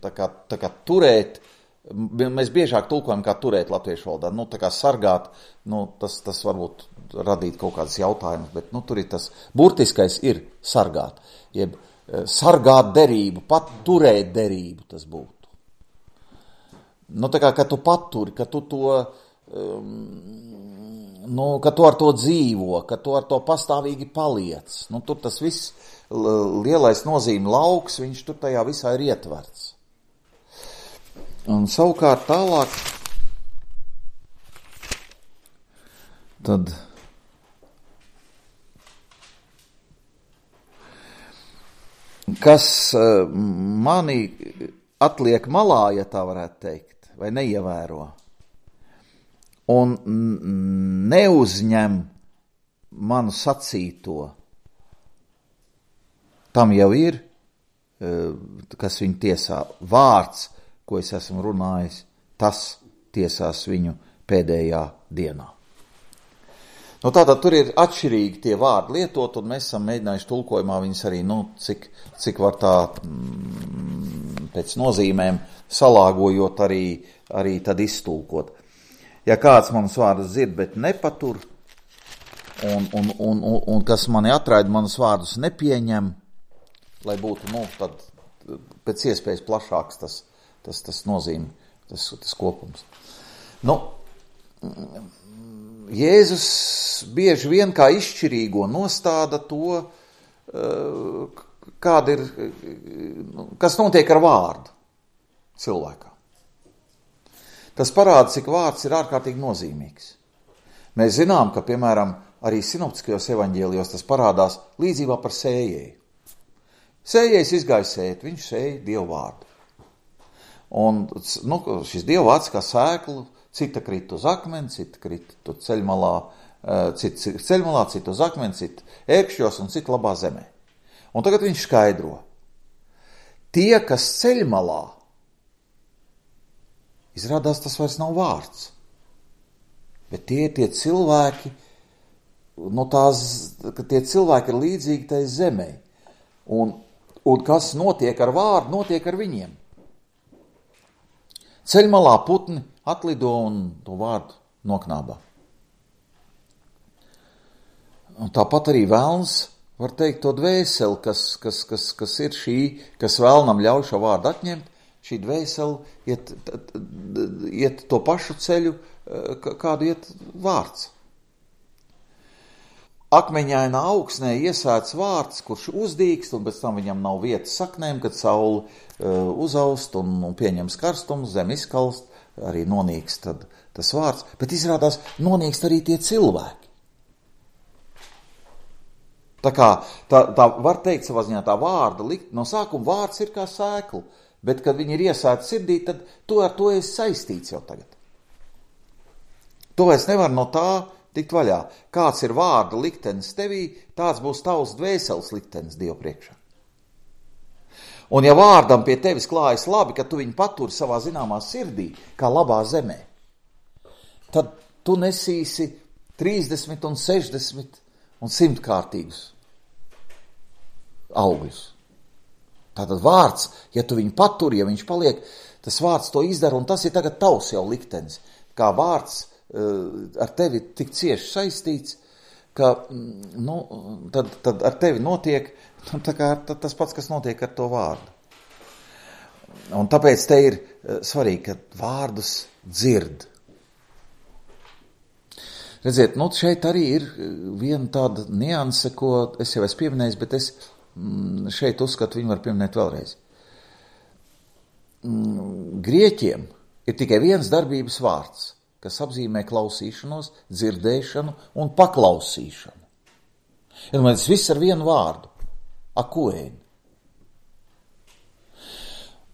tā kā, tā kā turēt, mēs biežāk tulkojam kā turēt latviešu valodā. Nu, tā kā sargāt, nu, tas, tas varbūt radīt kaut kādas jautājumus, bet, nu, tur ir tas burtiskais ir sargāt. Jeb sargāt derību, pat turēt derību tas būtu. Nu, tā kā, ka tu paturi, ka tu to... Um, Nu, ka tu ar to dzīvo, ka tu ar to pastāvīgi paliec. Nu, tur tas viss lielais nozīme lauks, viņš tur tajā visā ir ietverts. Un savukārt tālāk, tad kas mani atliek malā, ja tā varētu teikt, vai neievēro, un neuzņem manu sacīto, tam jau ir, kas viņu tiesā, vārds, ko es esmu runājis, tas tiesās viņu pēdējā dienā. Nu, tātad tur ir atšķirīgi tie vārdi lietot, un mēs esam mēģinājuši tulkojumā viņus arī, nu, cik, cik var tā mm, pēc nozīmēm, salāgojot arī, arī tad iztulkot. Ja kāds manas vārdus dzird, bet nepatur, un, un, un, un, un kas mani atraida, manas vārdus nepieņem, lai būtu, nu, tad pēc iespējas plašāks tas, tas, tas nozīme, tas, tas kopums. Nu, Jēzus bieži vien kā izšķirīgo nostāda to, kāda ir, kas notiek ar vārdu cilvēkā. Tas parāda, cik vārds ir ārkārtīgi nozīmīgs. Mēs zinām, ka, piemēram, arī sinoptiskajos evaņģēlijos tas parādās līdzībā par sējēju. Sējējs izgāja sēt, viņš sēja Dievu vārdu. Un nu, šis Dievu vārds kā sēklu, cita krita uz akmeni, cita krita ceļmalā, cita ceļmalā, cita uz akmeni, cita ērkšķos un cita labā zemē. Un tagad viņš skaidro. Tie, kas ceļmalā, izrādās tas vairs nav vārds. Bet tie tie cilvēki, no tās, ka tie cilvēki ir līdzīgi tai zemē. Un, un kas notiek ar vārdu, notiek ar viņiem. Ceļmalā putni atlido un to vārdu noknābā. Un tāpat arī velns, var teikt, to dvēseli, kas, kas, kas, kas ir šī, kas vēlnam ļauj šo vārdu atņemt, šī dvēseli iet, iet to pašu ceļu, kādu iet vārds. Akmeņainā augsnē iesēts vārds, kurš uzdīkst, un pēc tam viņam nav vietas saknēm, kad saule uh, uzaust un, un pieņems karstumu, zem izkalst, arī nonīkst tad, tas vārds, bet izrādās nonīkst arī tie cilvēki. Tā kā, tā, tā var teikt savā ziņā tā vārda likt, no sākuma vārds ir kā sēkla, bet kad viņi ir iesēti sirdī, tad tu ar to esi saistīts jau tagad. Tu vairs nevar no tā tikt vaļā. Kāds ir vārda liktenis tevī, tāds būs tavs dvēseles liktenis Dievu priekšā. Un ja vārdam pie tevis klājas labi, ka tu viņu paturi savā zināmā sirdī, kā labā zemē, tad tu nesīsi trīsdesmit un sešdesmit un simtkārtīgus augļus. Tātad vārds, ja tu viņu paturi, ja viņš paliek, tas vārds to izdara, un tas ir tagad tavs jau liktenis. Kā vārds ar tevi tik cieši saistīts, ka nu, tad, tad ar tevi notiek tā kā tas pats, kas notiek ar to vārdu. Un tāpēc te ir svarīgi, ka vārdus dzird. Redziet, nu šeit arī ir viena tāda nianse, ko es jau esmu pieminējis, bet es šeit uzskatu, viņu var pieminēt vēlreiz. Grieķiem ir tikai viens darbības vārds, kas apzīmē klausīšanos, dzirdēšanu un paklausīšanu. Ja tas viss ar vienu vārdu – akuēni.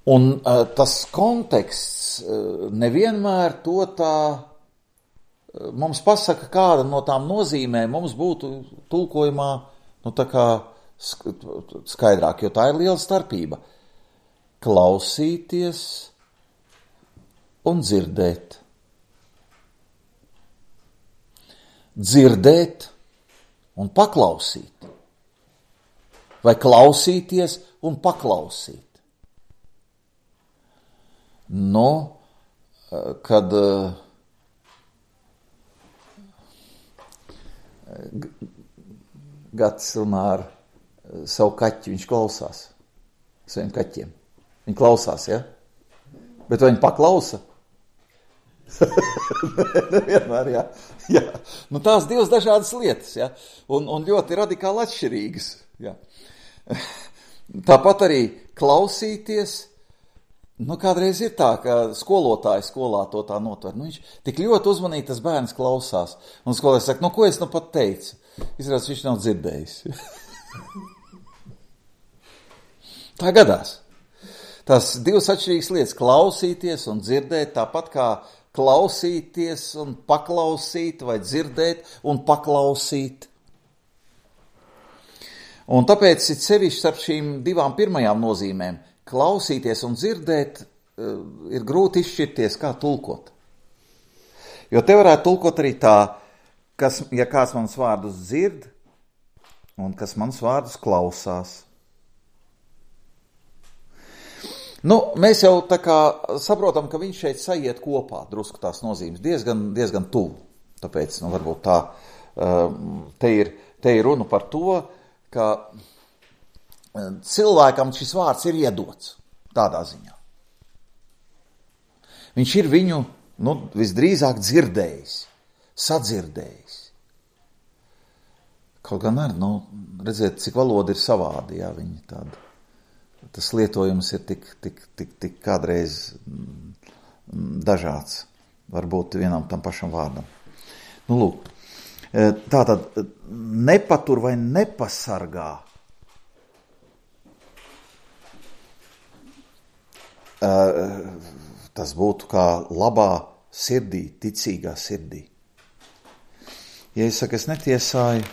Un uh, tas konteksts uh, nevienmēr to tā uh, mums pasaka, kāda no tām nozīmēm mums būtu tulkojumā nu, tā kā skaidrāk, jo tā ir liela starpība. Klausīties un dzirdēt. Dzirdēt un paklausīt. Vai klausīties un paklausīt. Nu, kad Gads runā ar savu kaķi, viņš klausās saviem kaķiem. Viņi klausās, ja? Bet vai viņi paklausa? Nevienmēr, jā. jā. Nu, tās divas dažādas lietas, ja? un, un ļoti radikāli atšķirīgas. Ja? Tāpat arī klausīties, nu, kādreiz ir tā, ka skolotāji skolā to tā notver. Nu, viņš tik ļoti uzmanīgi tas bērns klausās. Un skolotājs saka, nu, ko es nu pat teicu? Izrādās, viņš nav dzirdējis. Tā gadās. Tās divas atšķirīgas lietas – klausīties un dzirdēt, tāpat kā klausīties un paklausīt, vai dzirdēt un paklausīt. Un tāpēc ir sevišķi starp šīm divām pirmajām nozīmēm – klausīties un dzirdēt ir grūti izšķirties, kā tulkot. Jo te varētu tulkot arī tā, kas, ja kāds manas vārdus dzird un kas manas vārdus klausās. Nu, mēs jau tā kā saprotam, ka viņš šeit sajiet kopā, drusku tās nozīmes, diezgan, diezgan tuvu. Tāpēc, nu, varbūt tā, te ir, te ir runa par to, ka cilvēkam šis vārds ir iedots tādā ziņā. Viņš ir viņu, nu, visdrīzāk dzirdējis, sadzirdējis. Kaut gan ar, nu, redziet, cik valoda ir savādi, jā, viņi tāda. Tas lietojums ir tik, tik, tik, tik kādreiz dažāds, varbūt vienam tam pašam vārdam. Nu, lūk, tātad nepatur vai nepasargā. Tas būtu kā labā sirdī, ticīgā sirdī. Ja es saku, es netiesāju,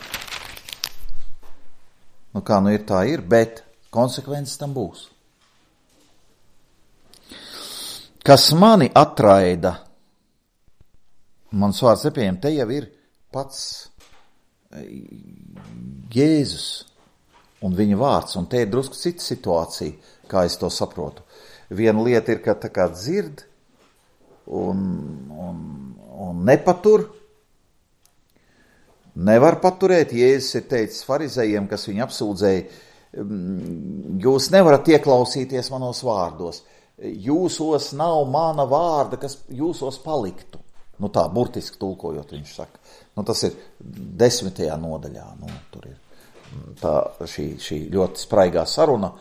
nu kā nu ir, tā ir, bet konsekvences tam būs. Kas mani atraida, mans vārds nepieņem, te jau ir pats Jēzus un viņa vārds, un te ir drusku cita situācija, kā es to saprotu. Viena lieta ir, ka tā kā dzird un, un, un nepatur, nevar paturēt. Jēzus ir teicis farizejiem, kas viņu apsūdzēja, jūs nevarat ieklausīties manos vārdos, jūsos nav mana vārda, kas jūsos paliktu. Nu tā, burtiski tulkojot, viņš saka. Nu tas ir desmitajā nodaļā, nu tur ir tā šī, šī ļoti spraigā saruna.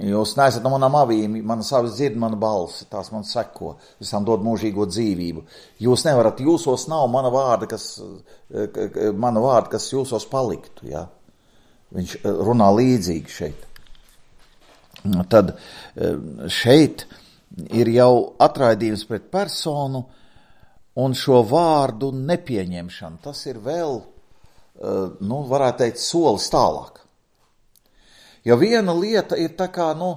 Jūs neesat no manām avīm, manas avis dzird manu balsi, tās man seko, es tam dod mūžīgo dzīvību. Jūs nevarat, jūsos nav mana vārda, kas, mana vārda, kas jūsos paliktu, ja? Viņš runā līdzīgi šeit. Tad šeit ir jau atraidījums pret personu un šo vārdu nepieņemšanu. Tas ir vēl, nu, varētu teikt, solis tālāk. Jo viena lieta ir tā kā, nu,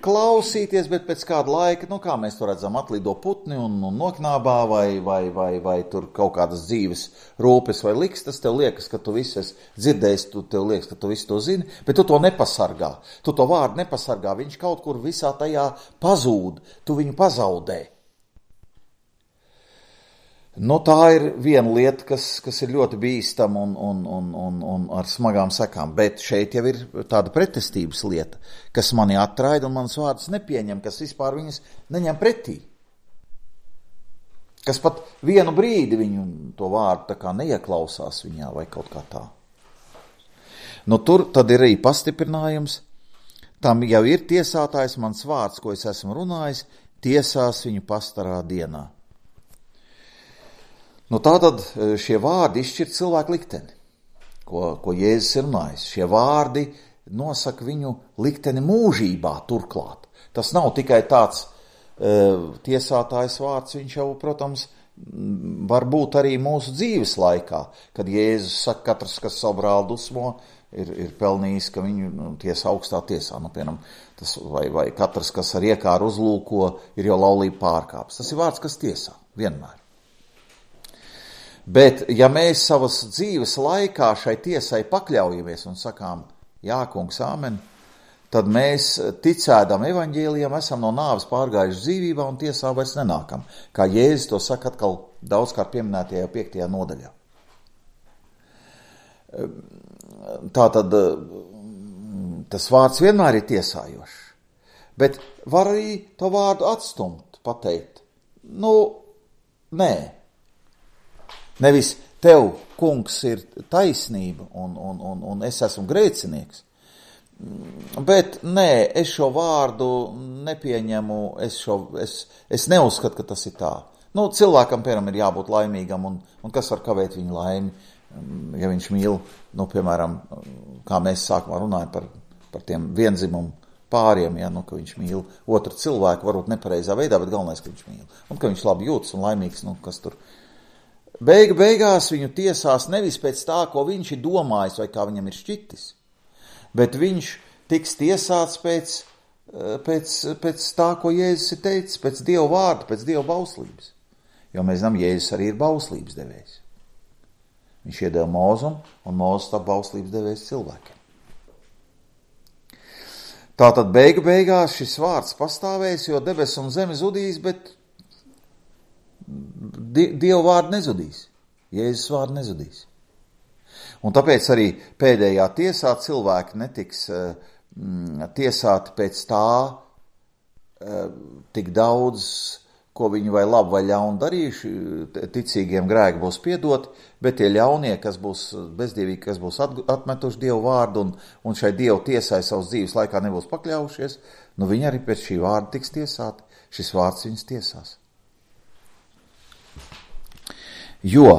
klausīties, bet pēc kāda laika, nu, kā mēs to redzam, atlido putni un, un noknābā vai, vai, vai, vai tur kaut kādas dzīves rūpes vai likstas, tev liekas, ka tu visu esi dzirdējis, tu, tev liekas, ka tu visu to zini, bet tu to nepasargā. Tu to vārdu nepasargā, viņš kaut kur visā tajā pazūd, tu viņu pazaudē. Nu, tā ir viena lieta, kas, kas ir ļoti bīstama un, un, un, un, un ar smagām sekām, bet šeit jau ir tāda pretestības lieta, kas mani atraida un manas vārdus nepieņem, kas vispār viņas neņem pretī. Kas pat vienu brīdi viņu to vārdu tā kā neieklausās viņā vai kaut kā tā. Nu, tur tad ir arī pastiprinājums, tam jau ir tiesātājs, mans vārds, ko es esmu runājis, tiesās viņu pastarā dienā. Nu, tātad šie vārdi izšķir cilvēku likteni, ko, ko Jēzus ir runājis. Šie vārdi nosaka viņu likteni mūžībā turklāt. Tas nav tikai tāds uh, tiesātājs vārds, viņš jau, protams, var būt arī mūsu dzīves laikā, kad Jēzus saka, katrs, kas savu brāli dusmo, ir, ir pelnījis, ka viņu nu, tiesa augstā tiesā. Nu, piemēram, tas, vai, vai katrs, kas ar iekāru uzlūko, ir jau laulību pārkāpis. Tas ir vārds, kas tiesā, vienmēr. Bet, ja mēs savas dzīves laikā šai tiesai pakļaujamies un sakām, jā, kungs, āmen, tad mēs ticēdam evaņģēlijam, esam no nāves pārgājuši dzīvībā un tiesā vairs nenākam. Kā Jēzus to saka atkal daudzkārt pieminētajā piektajā nodaļā. Tātad tas vārds vienmēr ir tiesājošs, bet var arī to vārdu atstumt, pateikt. Nu, nē. Nevis tev, kungs, ir taisnība un, un, un, un es esmu grēcinieks, bet nē, es šo vārdu nepieņemu, es, šo, es, es neuzskatu, ka tas ir tā. Nu, cilvēkam, piemēram, ir jābūt laimīgam un, un kas var kavēt viņu laimi, ja viņš mīl, nu, piemēram, kā mēs sākumā runājam par, par tiem vienzimumu pāriem, ja, nu, ka viņš mīl otru cilvēku, varbūt nepareizā veidā, bet galvenais, ka viņš mīl. Un ka viņš labi jūtas un laimīgs, nu, kas tur. Beigu beigās viņu tiesās nevis pēc tā, ko viņš ir domājis vai kā viņam ir šķitis, bet viņš tiks tiesāts pēc, pēc, pēc tā, ko Jēzus ir teicis, pēc Dieva vārda, pēc Dieva bauslības. Jo mēs zinām, Jēzus arī ir bauslības devējs. Viņš iedeva Mūzum, un Mūzes tā bauslības devējs cilvēkiem. Tātad beigu beigās šis vārds pastāvēs, jo debes un zeme zudīs, bet Dieva vārdu nezudīs. Jēzus vārdu nezudīs. Un tāpēc arī pēdējā tiesā cilvēki netiks mm, tiesāti pēc tā tik daudz, ko viņi vai labi vai ļauni darījuši, ticīgiem grēki būs piedoti, bet tie ļaunie, kas būs bezdievīgi, kas būs atmetuši Dievu vārdu un, un šai Dievu tiesai savas dzīves laikā nebūs pakļaujušies, nu viņi arī pēc šī vārda tiks tiesāti. Šis vārds viņus tiesās. Jo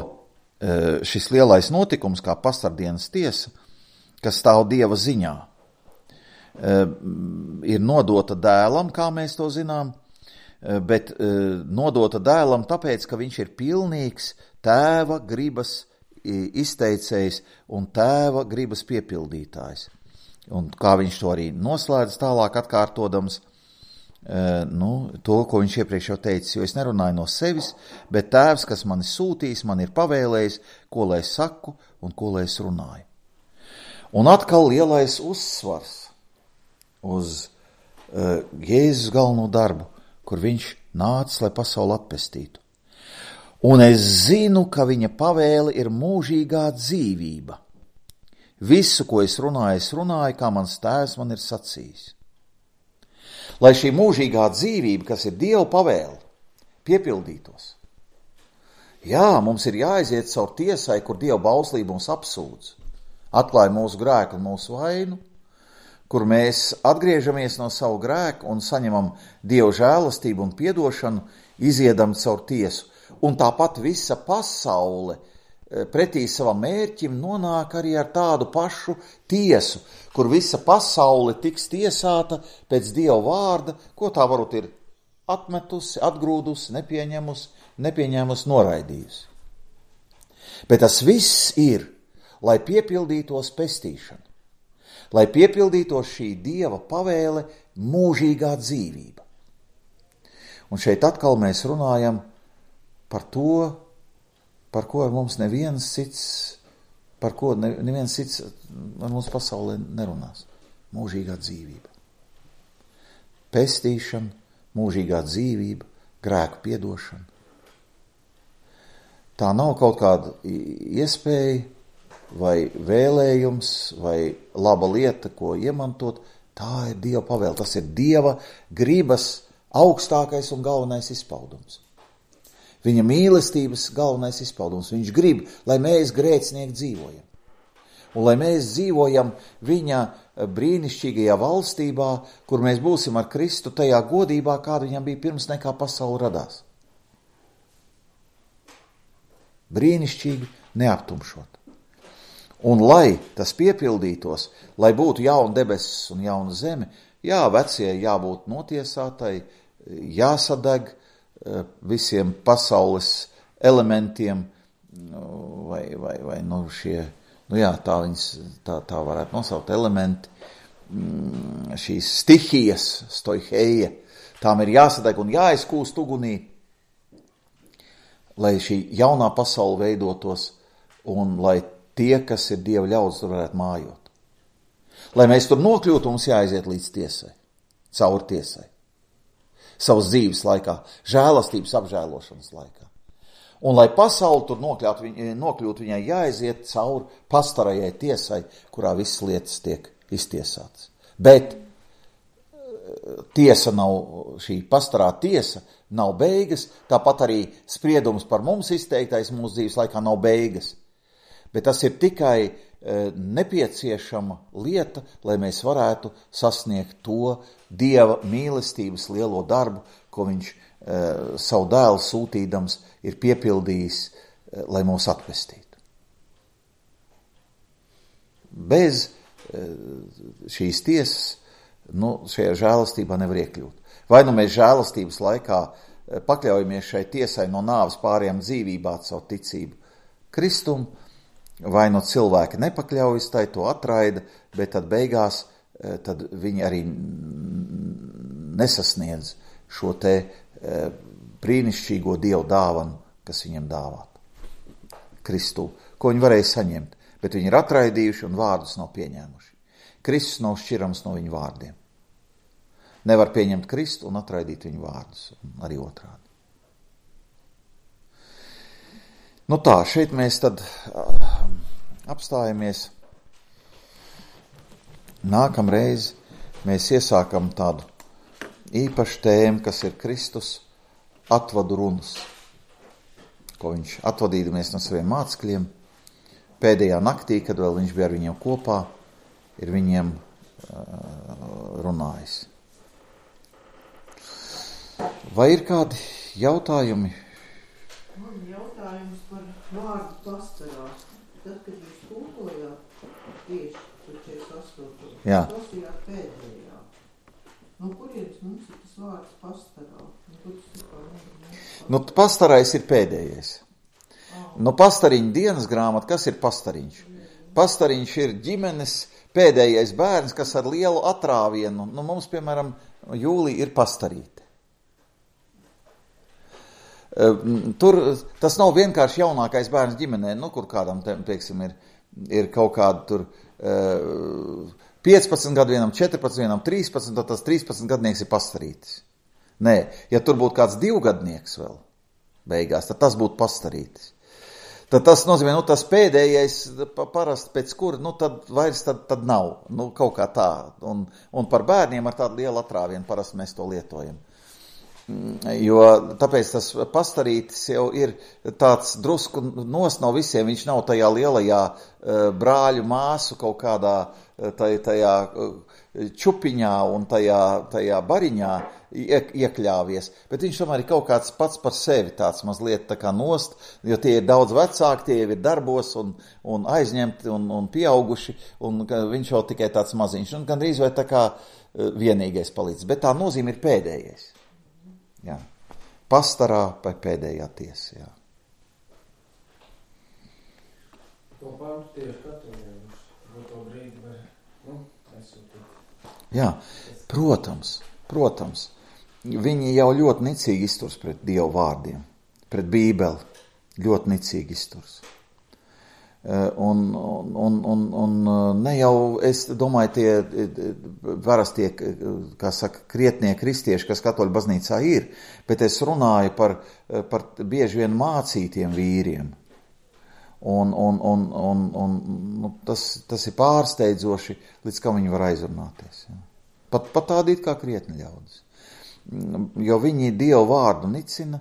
šis lielais notikums, kā pastardienas tiesa, kas stāv Dieva ziņā, ir nodota dēlam, kā mēs to zinām, bet nodota dēlam tāpēc, ka viņš ir pilnīgs tēva gribas izteicējs un tēva gribas piepildītājs. Un kā viņš to arī noslēdz tālāk atkārtodams, nu, to, ko viņš iepriekš jau teicis, jo es nerunāju no sevis, bet tēvs, kas mani sūtīs, man ir pavēlējis, ko lai es saku un ko lai es runāju. Un atkal lielais uzsvars uz uh, Jēzus galveno darbu, kur viņš nācis, lai pasauli atpestītu. Un es zinu, ka viņa pavēle ir mūžīgā dzīvība. Visu, ko es runāju, es runāju, kā mans tēvs man ir sacījis. Lai šī mūžīgā dzīvība, kas ir Dieva pavēle, piepildītos. Jā, mums ir jāaiziet caur tiesai, kur Dieva bauslība mums apsūdz, atklāja mūsu grēku un mūsu vainu, kur mēs atgriežamies no savu grēku un saņemam Dieva žēlastību un piedošanu, iziedam caur tiesu. Un tāpat visa pasaule pretī savam mērķim nonāk arī ar tādu pašu tiesu, kur visa pasaule tiks tiesāta pēc Dieva vārda, ko tā varbūt ir atmetusi, atgrūdusi, nepieņemusi, nepieņēmusi, noraidījusi. Bet tas viss ir, lai piepildītos pestīšana. Lai piepildītos šī Dieva pavēle mūžīgā dzīvība. Un šeit atkal mēs runājam par to, par ko ar mums neviens cits, par ko neviens cits ar mums pasaulē nerunās. Mūžīgā dzīvība. Pestīšana, mūžīgā dzīvība, grēku piedošana. Tā nav kaut kāda iespēja, vai vēlējums, vai laba lieta, ko iemantot, tā ir Dieva pavēle. Tas ir Dieva gribas augstākais un galvenais izpaudums. Viņa mīlestības galvenais izpaudums. Viņš grib, lai mēs grēcinieki dzīvojam. Un lai mēs dzīvojam viņa brīnišķīgajā valstībā, kur mēs būsim ar Kristu tajā godībā, kāda viņam bija pirms nekā pasaule radās. Brīnišķīgi, neaptumšot. Un lai tas piepildītos, lai būtu jauna debesis un jauna zeme, jā, vecie jābūt notiesātai, jāsadeg visiem pasaules elementiem, vai, vai, vai nu šie, nu jā, tā viņas, tā, tā varētu nosaukt elementi, šīs stihijas, stoiheja, tām ir jāsadeg un jāizkūst ugunī, lai šī jaunā pasaule veidotos un lai tie, kas ir Dieva ļaudis, tur varētu mājot. Lai mēs tur nokļūtu, mums jāaiziet līdz tiesai, caur tiesai. Savas dzīves laikā, žēlastības apžēlošanas laikā. Un lai pasauli tur nokļūt, nokļūt, viņai jāaiziet caur pastarajai tiesai, kurā visas lietas tiek iztiesātas. Bet tiesa nav, šī pastarā tiesa nav beigas, tāpat arī spriedums par mums izteiktais mūsu dzīves laikā nav beigas. Bet tas ir tikai e, nepieciešama lieta, lai mēs varētu sasniegt to Dieva mīlestības lielo darbu, ko viņš e, savu dēlu sūtīdams ir piepildījis, e, lai mūs atpestītu. Bez e, šīs tiesas, nu, šajā žēlastībā nevar iekļūt. Vai nu mēs žēlastības laikā e, pakļaujamies šai tiesai no nāves pārējām dzīvībā caur ticību Kristumu, vai no cilvēki nepakļaujas, tai to atraida, bet tad beigās tad viņi arī nesasniedz šo te brīnišķīgo Dievu dāvanu, kas viņam dāvāt. Kristu, ko viņi varēja saņemt, bet viņi ir atraidījuši un vārdus nav pieņēmuši. Kristus nav šķirams no viņu vārdiem. nevar pieņemt Kristu un atraidīt viņu vārdus, arī otrādi. Nu tā, šeit mēs tad uh, apstājamies. Nākamreiz mēs iesākam tādu īpašu tēmu, kas ir Kristus atvadu runas, ko viņš atvadīdamies no saviem mācekļiem pēdējā naktī, kad vēl viņš bija ar viņiem kopā, ir viņiem uh, runājis. Vai ir kādi jautājumi? Man jautājums par vārdu pastarās. Tad, kad jūs tūkojāt tieši par četrdesmit astoto. Jā. Tas ir pēdējā. No kurienes mums ir tas vārds pastarā? Nu, kur tas ir par... Nu, pastarais ir pēdējais. Nu, pastariņa dienas grāmata, kas ir pastariņš? Pastariņš ir ģimenes pēdējais bērns, kas ar lielu atrāvienu, nu, mums, piemēram, Jūlija ir pastarīte. Tur tas nav vienkārši jaunākais bērns ģimenē, nu, kur kādam, teiksim, ir, ir kaut kāda tur piecpadsmit gadu, vienam četrpadsmit, vienam trīspadsmit, tad tas trīspadsmit gadnieks ir pastarītis. Nē, ja tur būtu kāds divgadnieks vēl beigās, tad tas būtu pastarītis. Tad tas nozīmē, nu, tas pēdējais parasti pēc kura, nu, tad vairs tad, tad nav, nu, kaut kā tā. Un, un par bērniem ar tādu lielu atrāvienu parasti mēs to lietojam. Jo tāpēc tas pastarītis jau ir tāds drusku nos no visiem, viņš nav tajā lielajā brāļu māsu kaut kādā tajā, tajā čupiņā un tajā, tajā bariņā iekļāvies, bet viņš tomēr ir kaut kāds pats par sevi tāds mazliet tā kā nost, jo tie ir daudz vecāki, tie ir darbos un, un aizņemti un, un pieauguši, un viņš jau tikai tāds maziņš, un gandrīz vai tā kā vienīgais palīdz, bet tā nozīme ir pēdējais. Jā. Pastarā vai pēdējā tiesa, jā. To pantu tieši katoļiem, uz to brīdi var, nu, aizsūtīt. Jā, protams, protams. Viņi jau ļoti nicīgi izturs pret Dievu vārdiem, pret Bībeli, ļoti nicīgi izturs. Un, un, un, un ne jau, es domāju, tie varas tie, kā saka, krietnie kristieši, kas katoļu baznīcā ir, bet es runāju par, par bieži vien mācītiem vīriem. Un, un, un, un, un nu, tas, tas ir pārsteidzoši, līdz kā viņi var aizrunāties. Ja. Pat, pat tādi it kā krietni ļaudis. Jo viņi Dievu vārdu nicina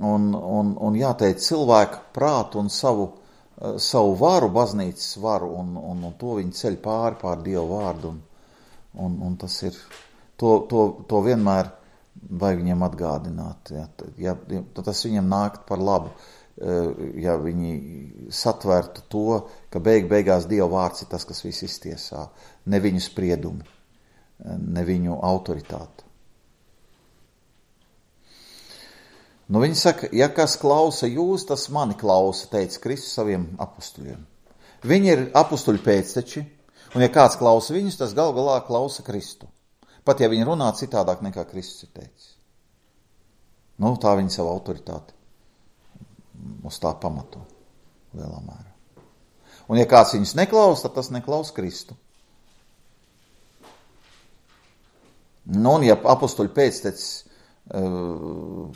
un, un, un jāteic cilvēku prātu un savu, savu varu, baznīcas varu, un, un, un to viņi ceļ pāri pār Dievu vārdu. Un, un, un tas ir, to, to, to vienmēr vajag viņiem atgādināt. Ja, ja, tas viņiem nākt par labu, ja viņi satvērtu to, ka beig beigās Dieva vārds ir tas, kas viss iztiesā, ne viņu spriedumi, ne viņu autoritāti. Nu, viņi saka, ja kas klausa jūs, tas mani klausa, teica Kristus saviem apustuļiem. Viņi ir apustuļu pēcteči, un ja kāds klausa viņus, tas gal galā klausa Kristu. Pat ja viņi runā citādāk nekā Kristus ir teicis. Nu, tā viņa savu autoritāti uz tā pamato lielā mērā. Un ja kāds viņus neklausa, tad tas neklausa Kristu. Nu, un ja apustuļu pēctecis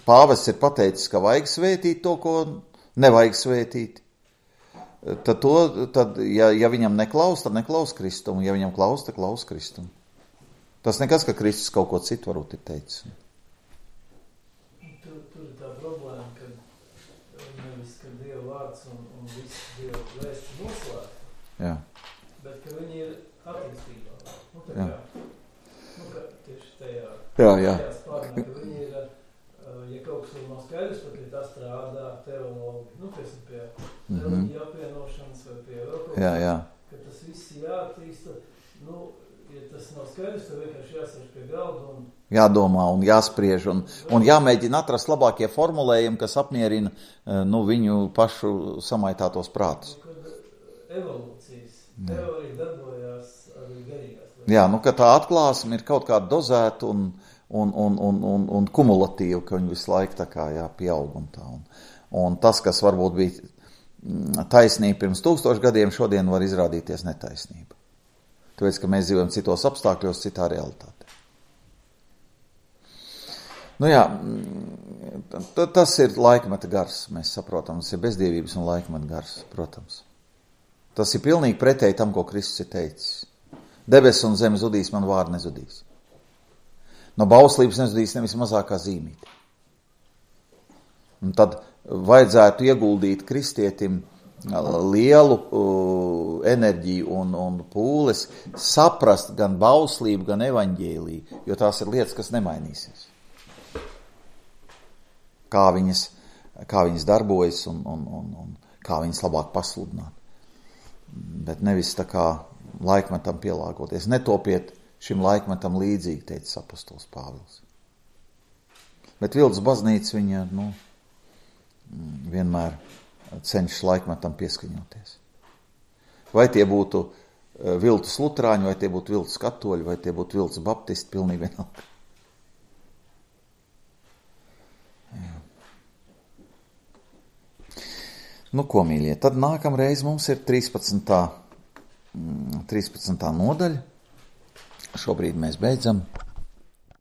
pāvests ir pateicis, ka vajag svētīt to, ko nevajag svētīt, tad, to, tad ja, ja viņam neklaus, tad neklaus Kristumu, ja viņam klaus, tad klaus Kristumu. Tas nekas, ka Kristus kaut ko citu varbūt ir teicis. Tur, tur ir tā problēma, ka nevis, ka Dieva vārds un, un viss Dieva vēsts noslēgta, Jā. bet ka viņi ir attīstībā. Nu, tā Jā. kā, nu, ka tieši tajā, Jā, jā. tajā spārnā, ka viņi ir, ja kaut kas nav skaidrs, tad pie tā strādā teologi, nu, pēc pie Mhm. reliģija apvienošanas vai pie vēl kaut Jā, jā. ka tas viss jāattīsta, nu, ja tas nav skaidrs, tad vienkārši jāsarž pie galda un Jādomā un jāspriež un, un jāmēģina atrast labākie formulējumi, kas apmierina nu, viņu pašu samaitātos prātus. nu, kad evolūcijas teorija darbojās arī garīgās. Jā, nu, ka tā atklāsme ir kaut kāda dozēta un, un, un, un, un, un kumulatīva, ka viņi visu laiku tā kā jā, pieaug un tā. Un, un tas, kas varbūt bija taisnība pirms tūkstošu gadiem, šodien var izrādīties netaisnība. Tāpēc, ka mēs dzīvojam citos apstākļos, citā realitātē. Nu jā, tas ir laikmeta gars, mēs saprotam, tas ir bezdievības un laikmeta gars, protams. Tas ir pilnīgi pretēji tam, ko Kristus ir teicis. Debes un zeme zudīs, man vārdu nezudīs. No bauslības nezudīs nevis mazākā zīmīte. Un tad vajadzētu ieguldīt kristietim lielu uh, enerģiju un, un pūles, saprast gan bauslību, gan evaņģēliju, jo tās ir lietas, kas nemainīsies. Kā viņas, kā viņas darbojas un, un, un, un kā viņas labāk pasludināt. Bet nevis tā kā laikmetam pielāgoties. Netopiet šim laikmetam līdzīgi, teica apostols Pāvils. Bet Vildes baznīca viņa, nu, vienmēr cenšas laikmetam pieskaņoties. Vai tie būtu viltus luterāņi, vai tie būtu viltus katoļi, vai tie būtu viltus baptisti, pilnīgi vienalga. Nu, ko, mīļie, tad nākamreiz mums ir trīspadsmitā nodaļa. Šobrīd mēs beidzam.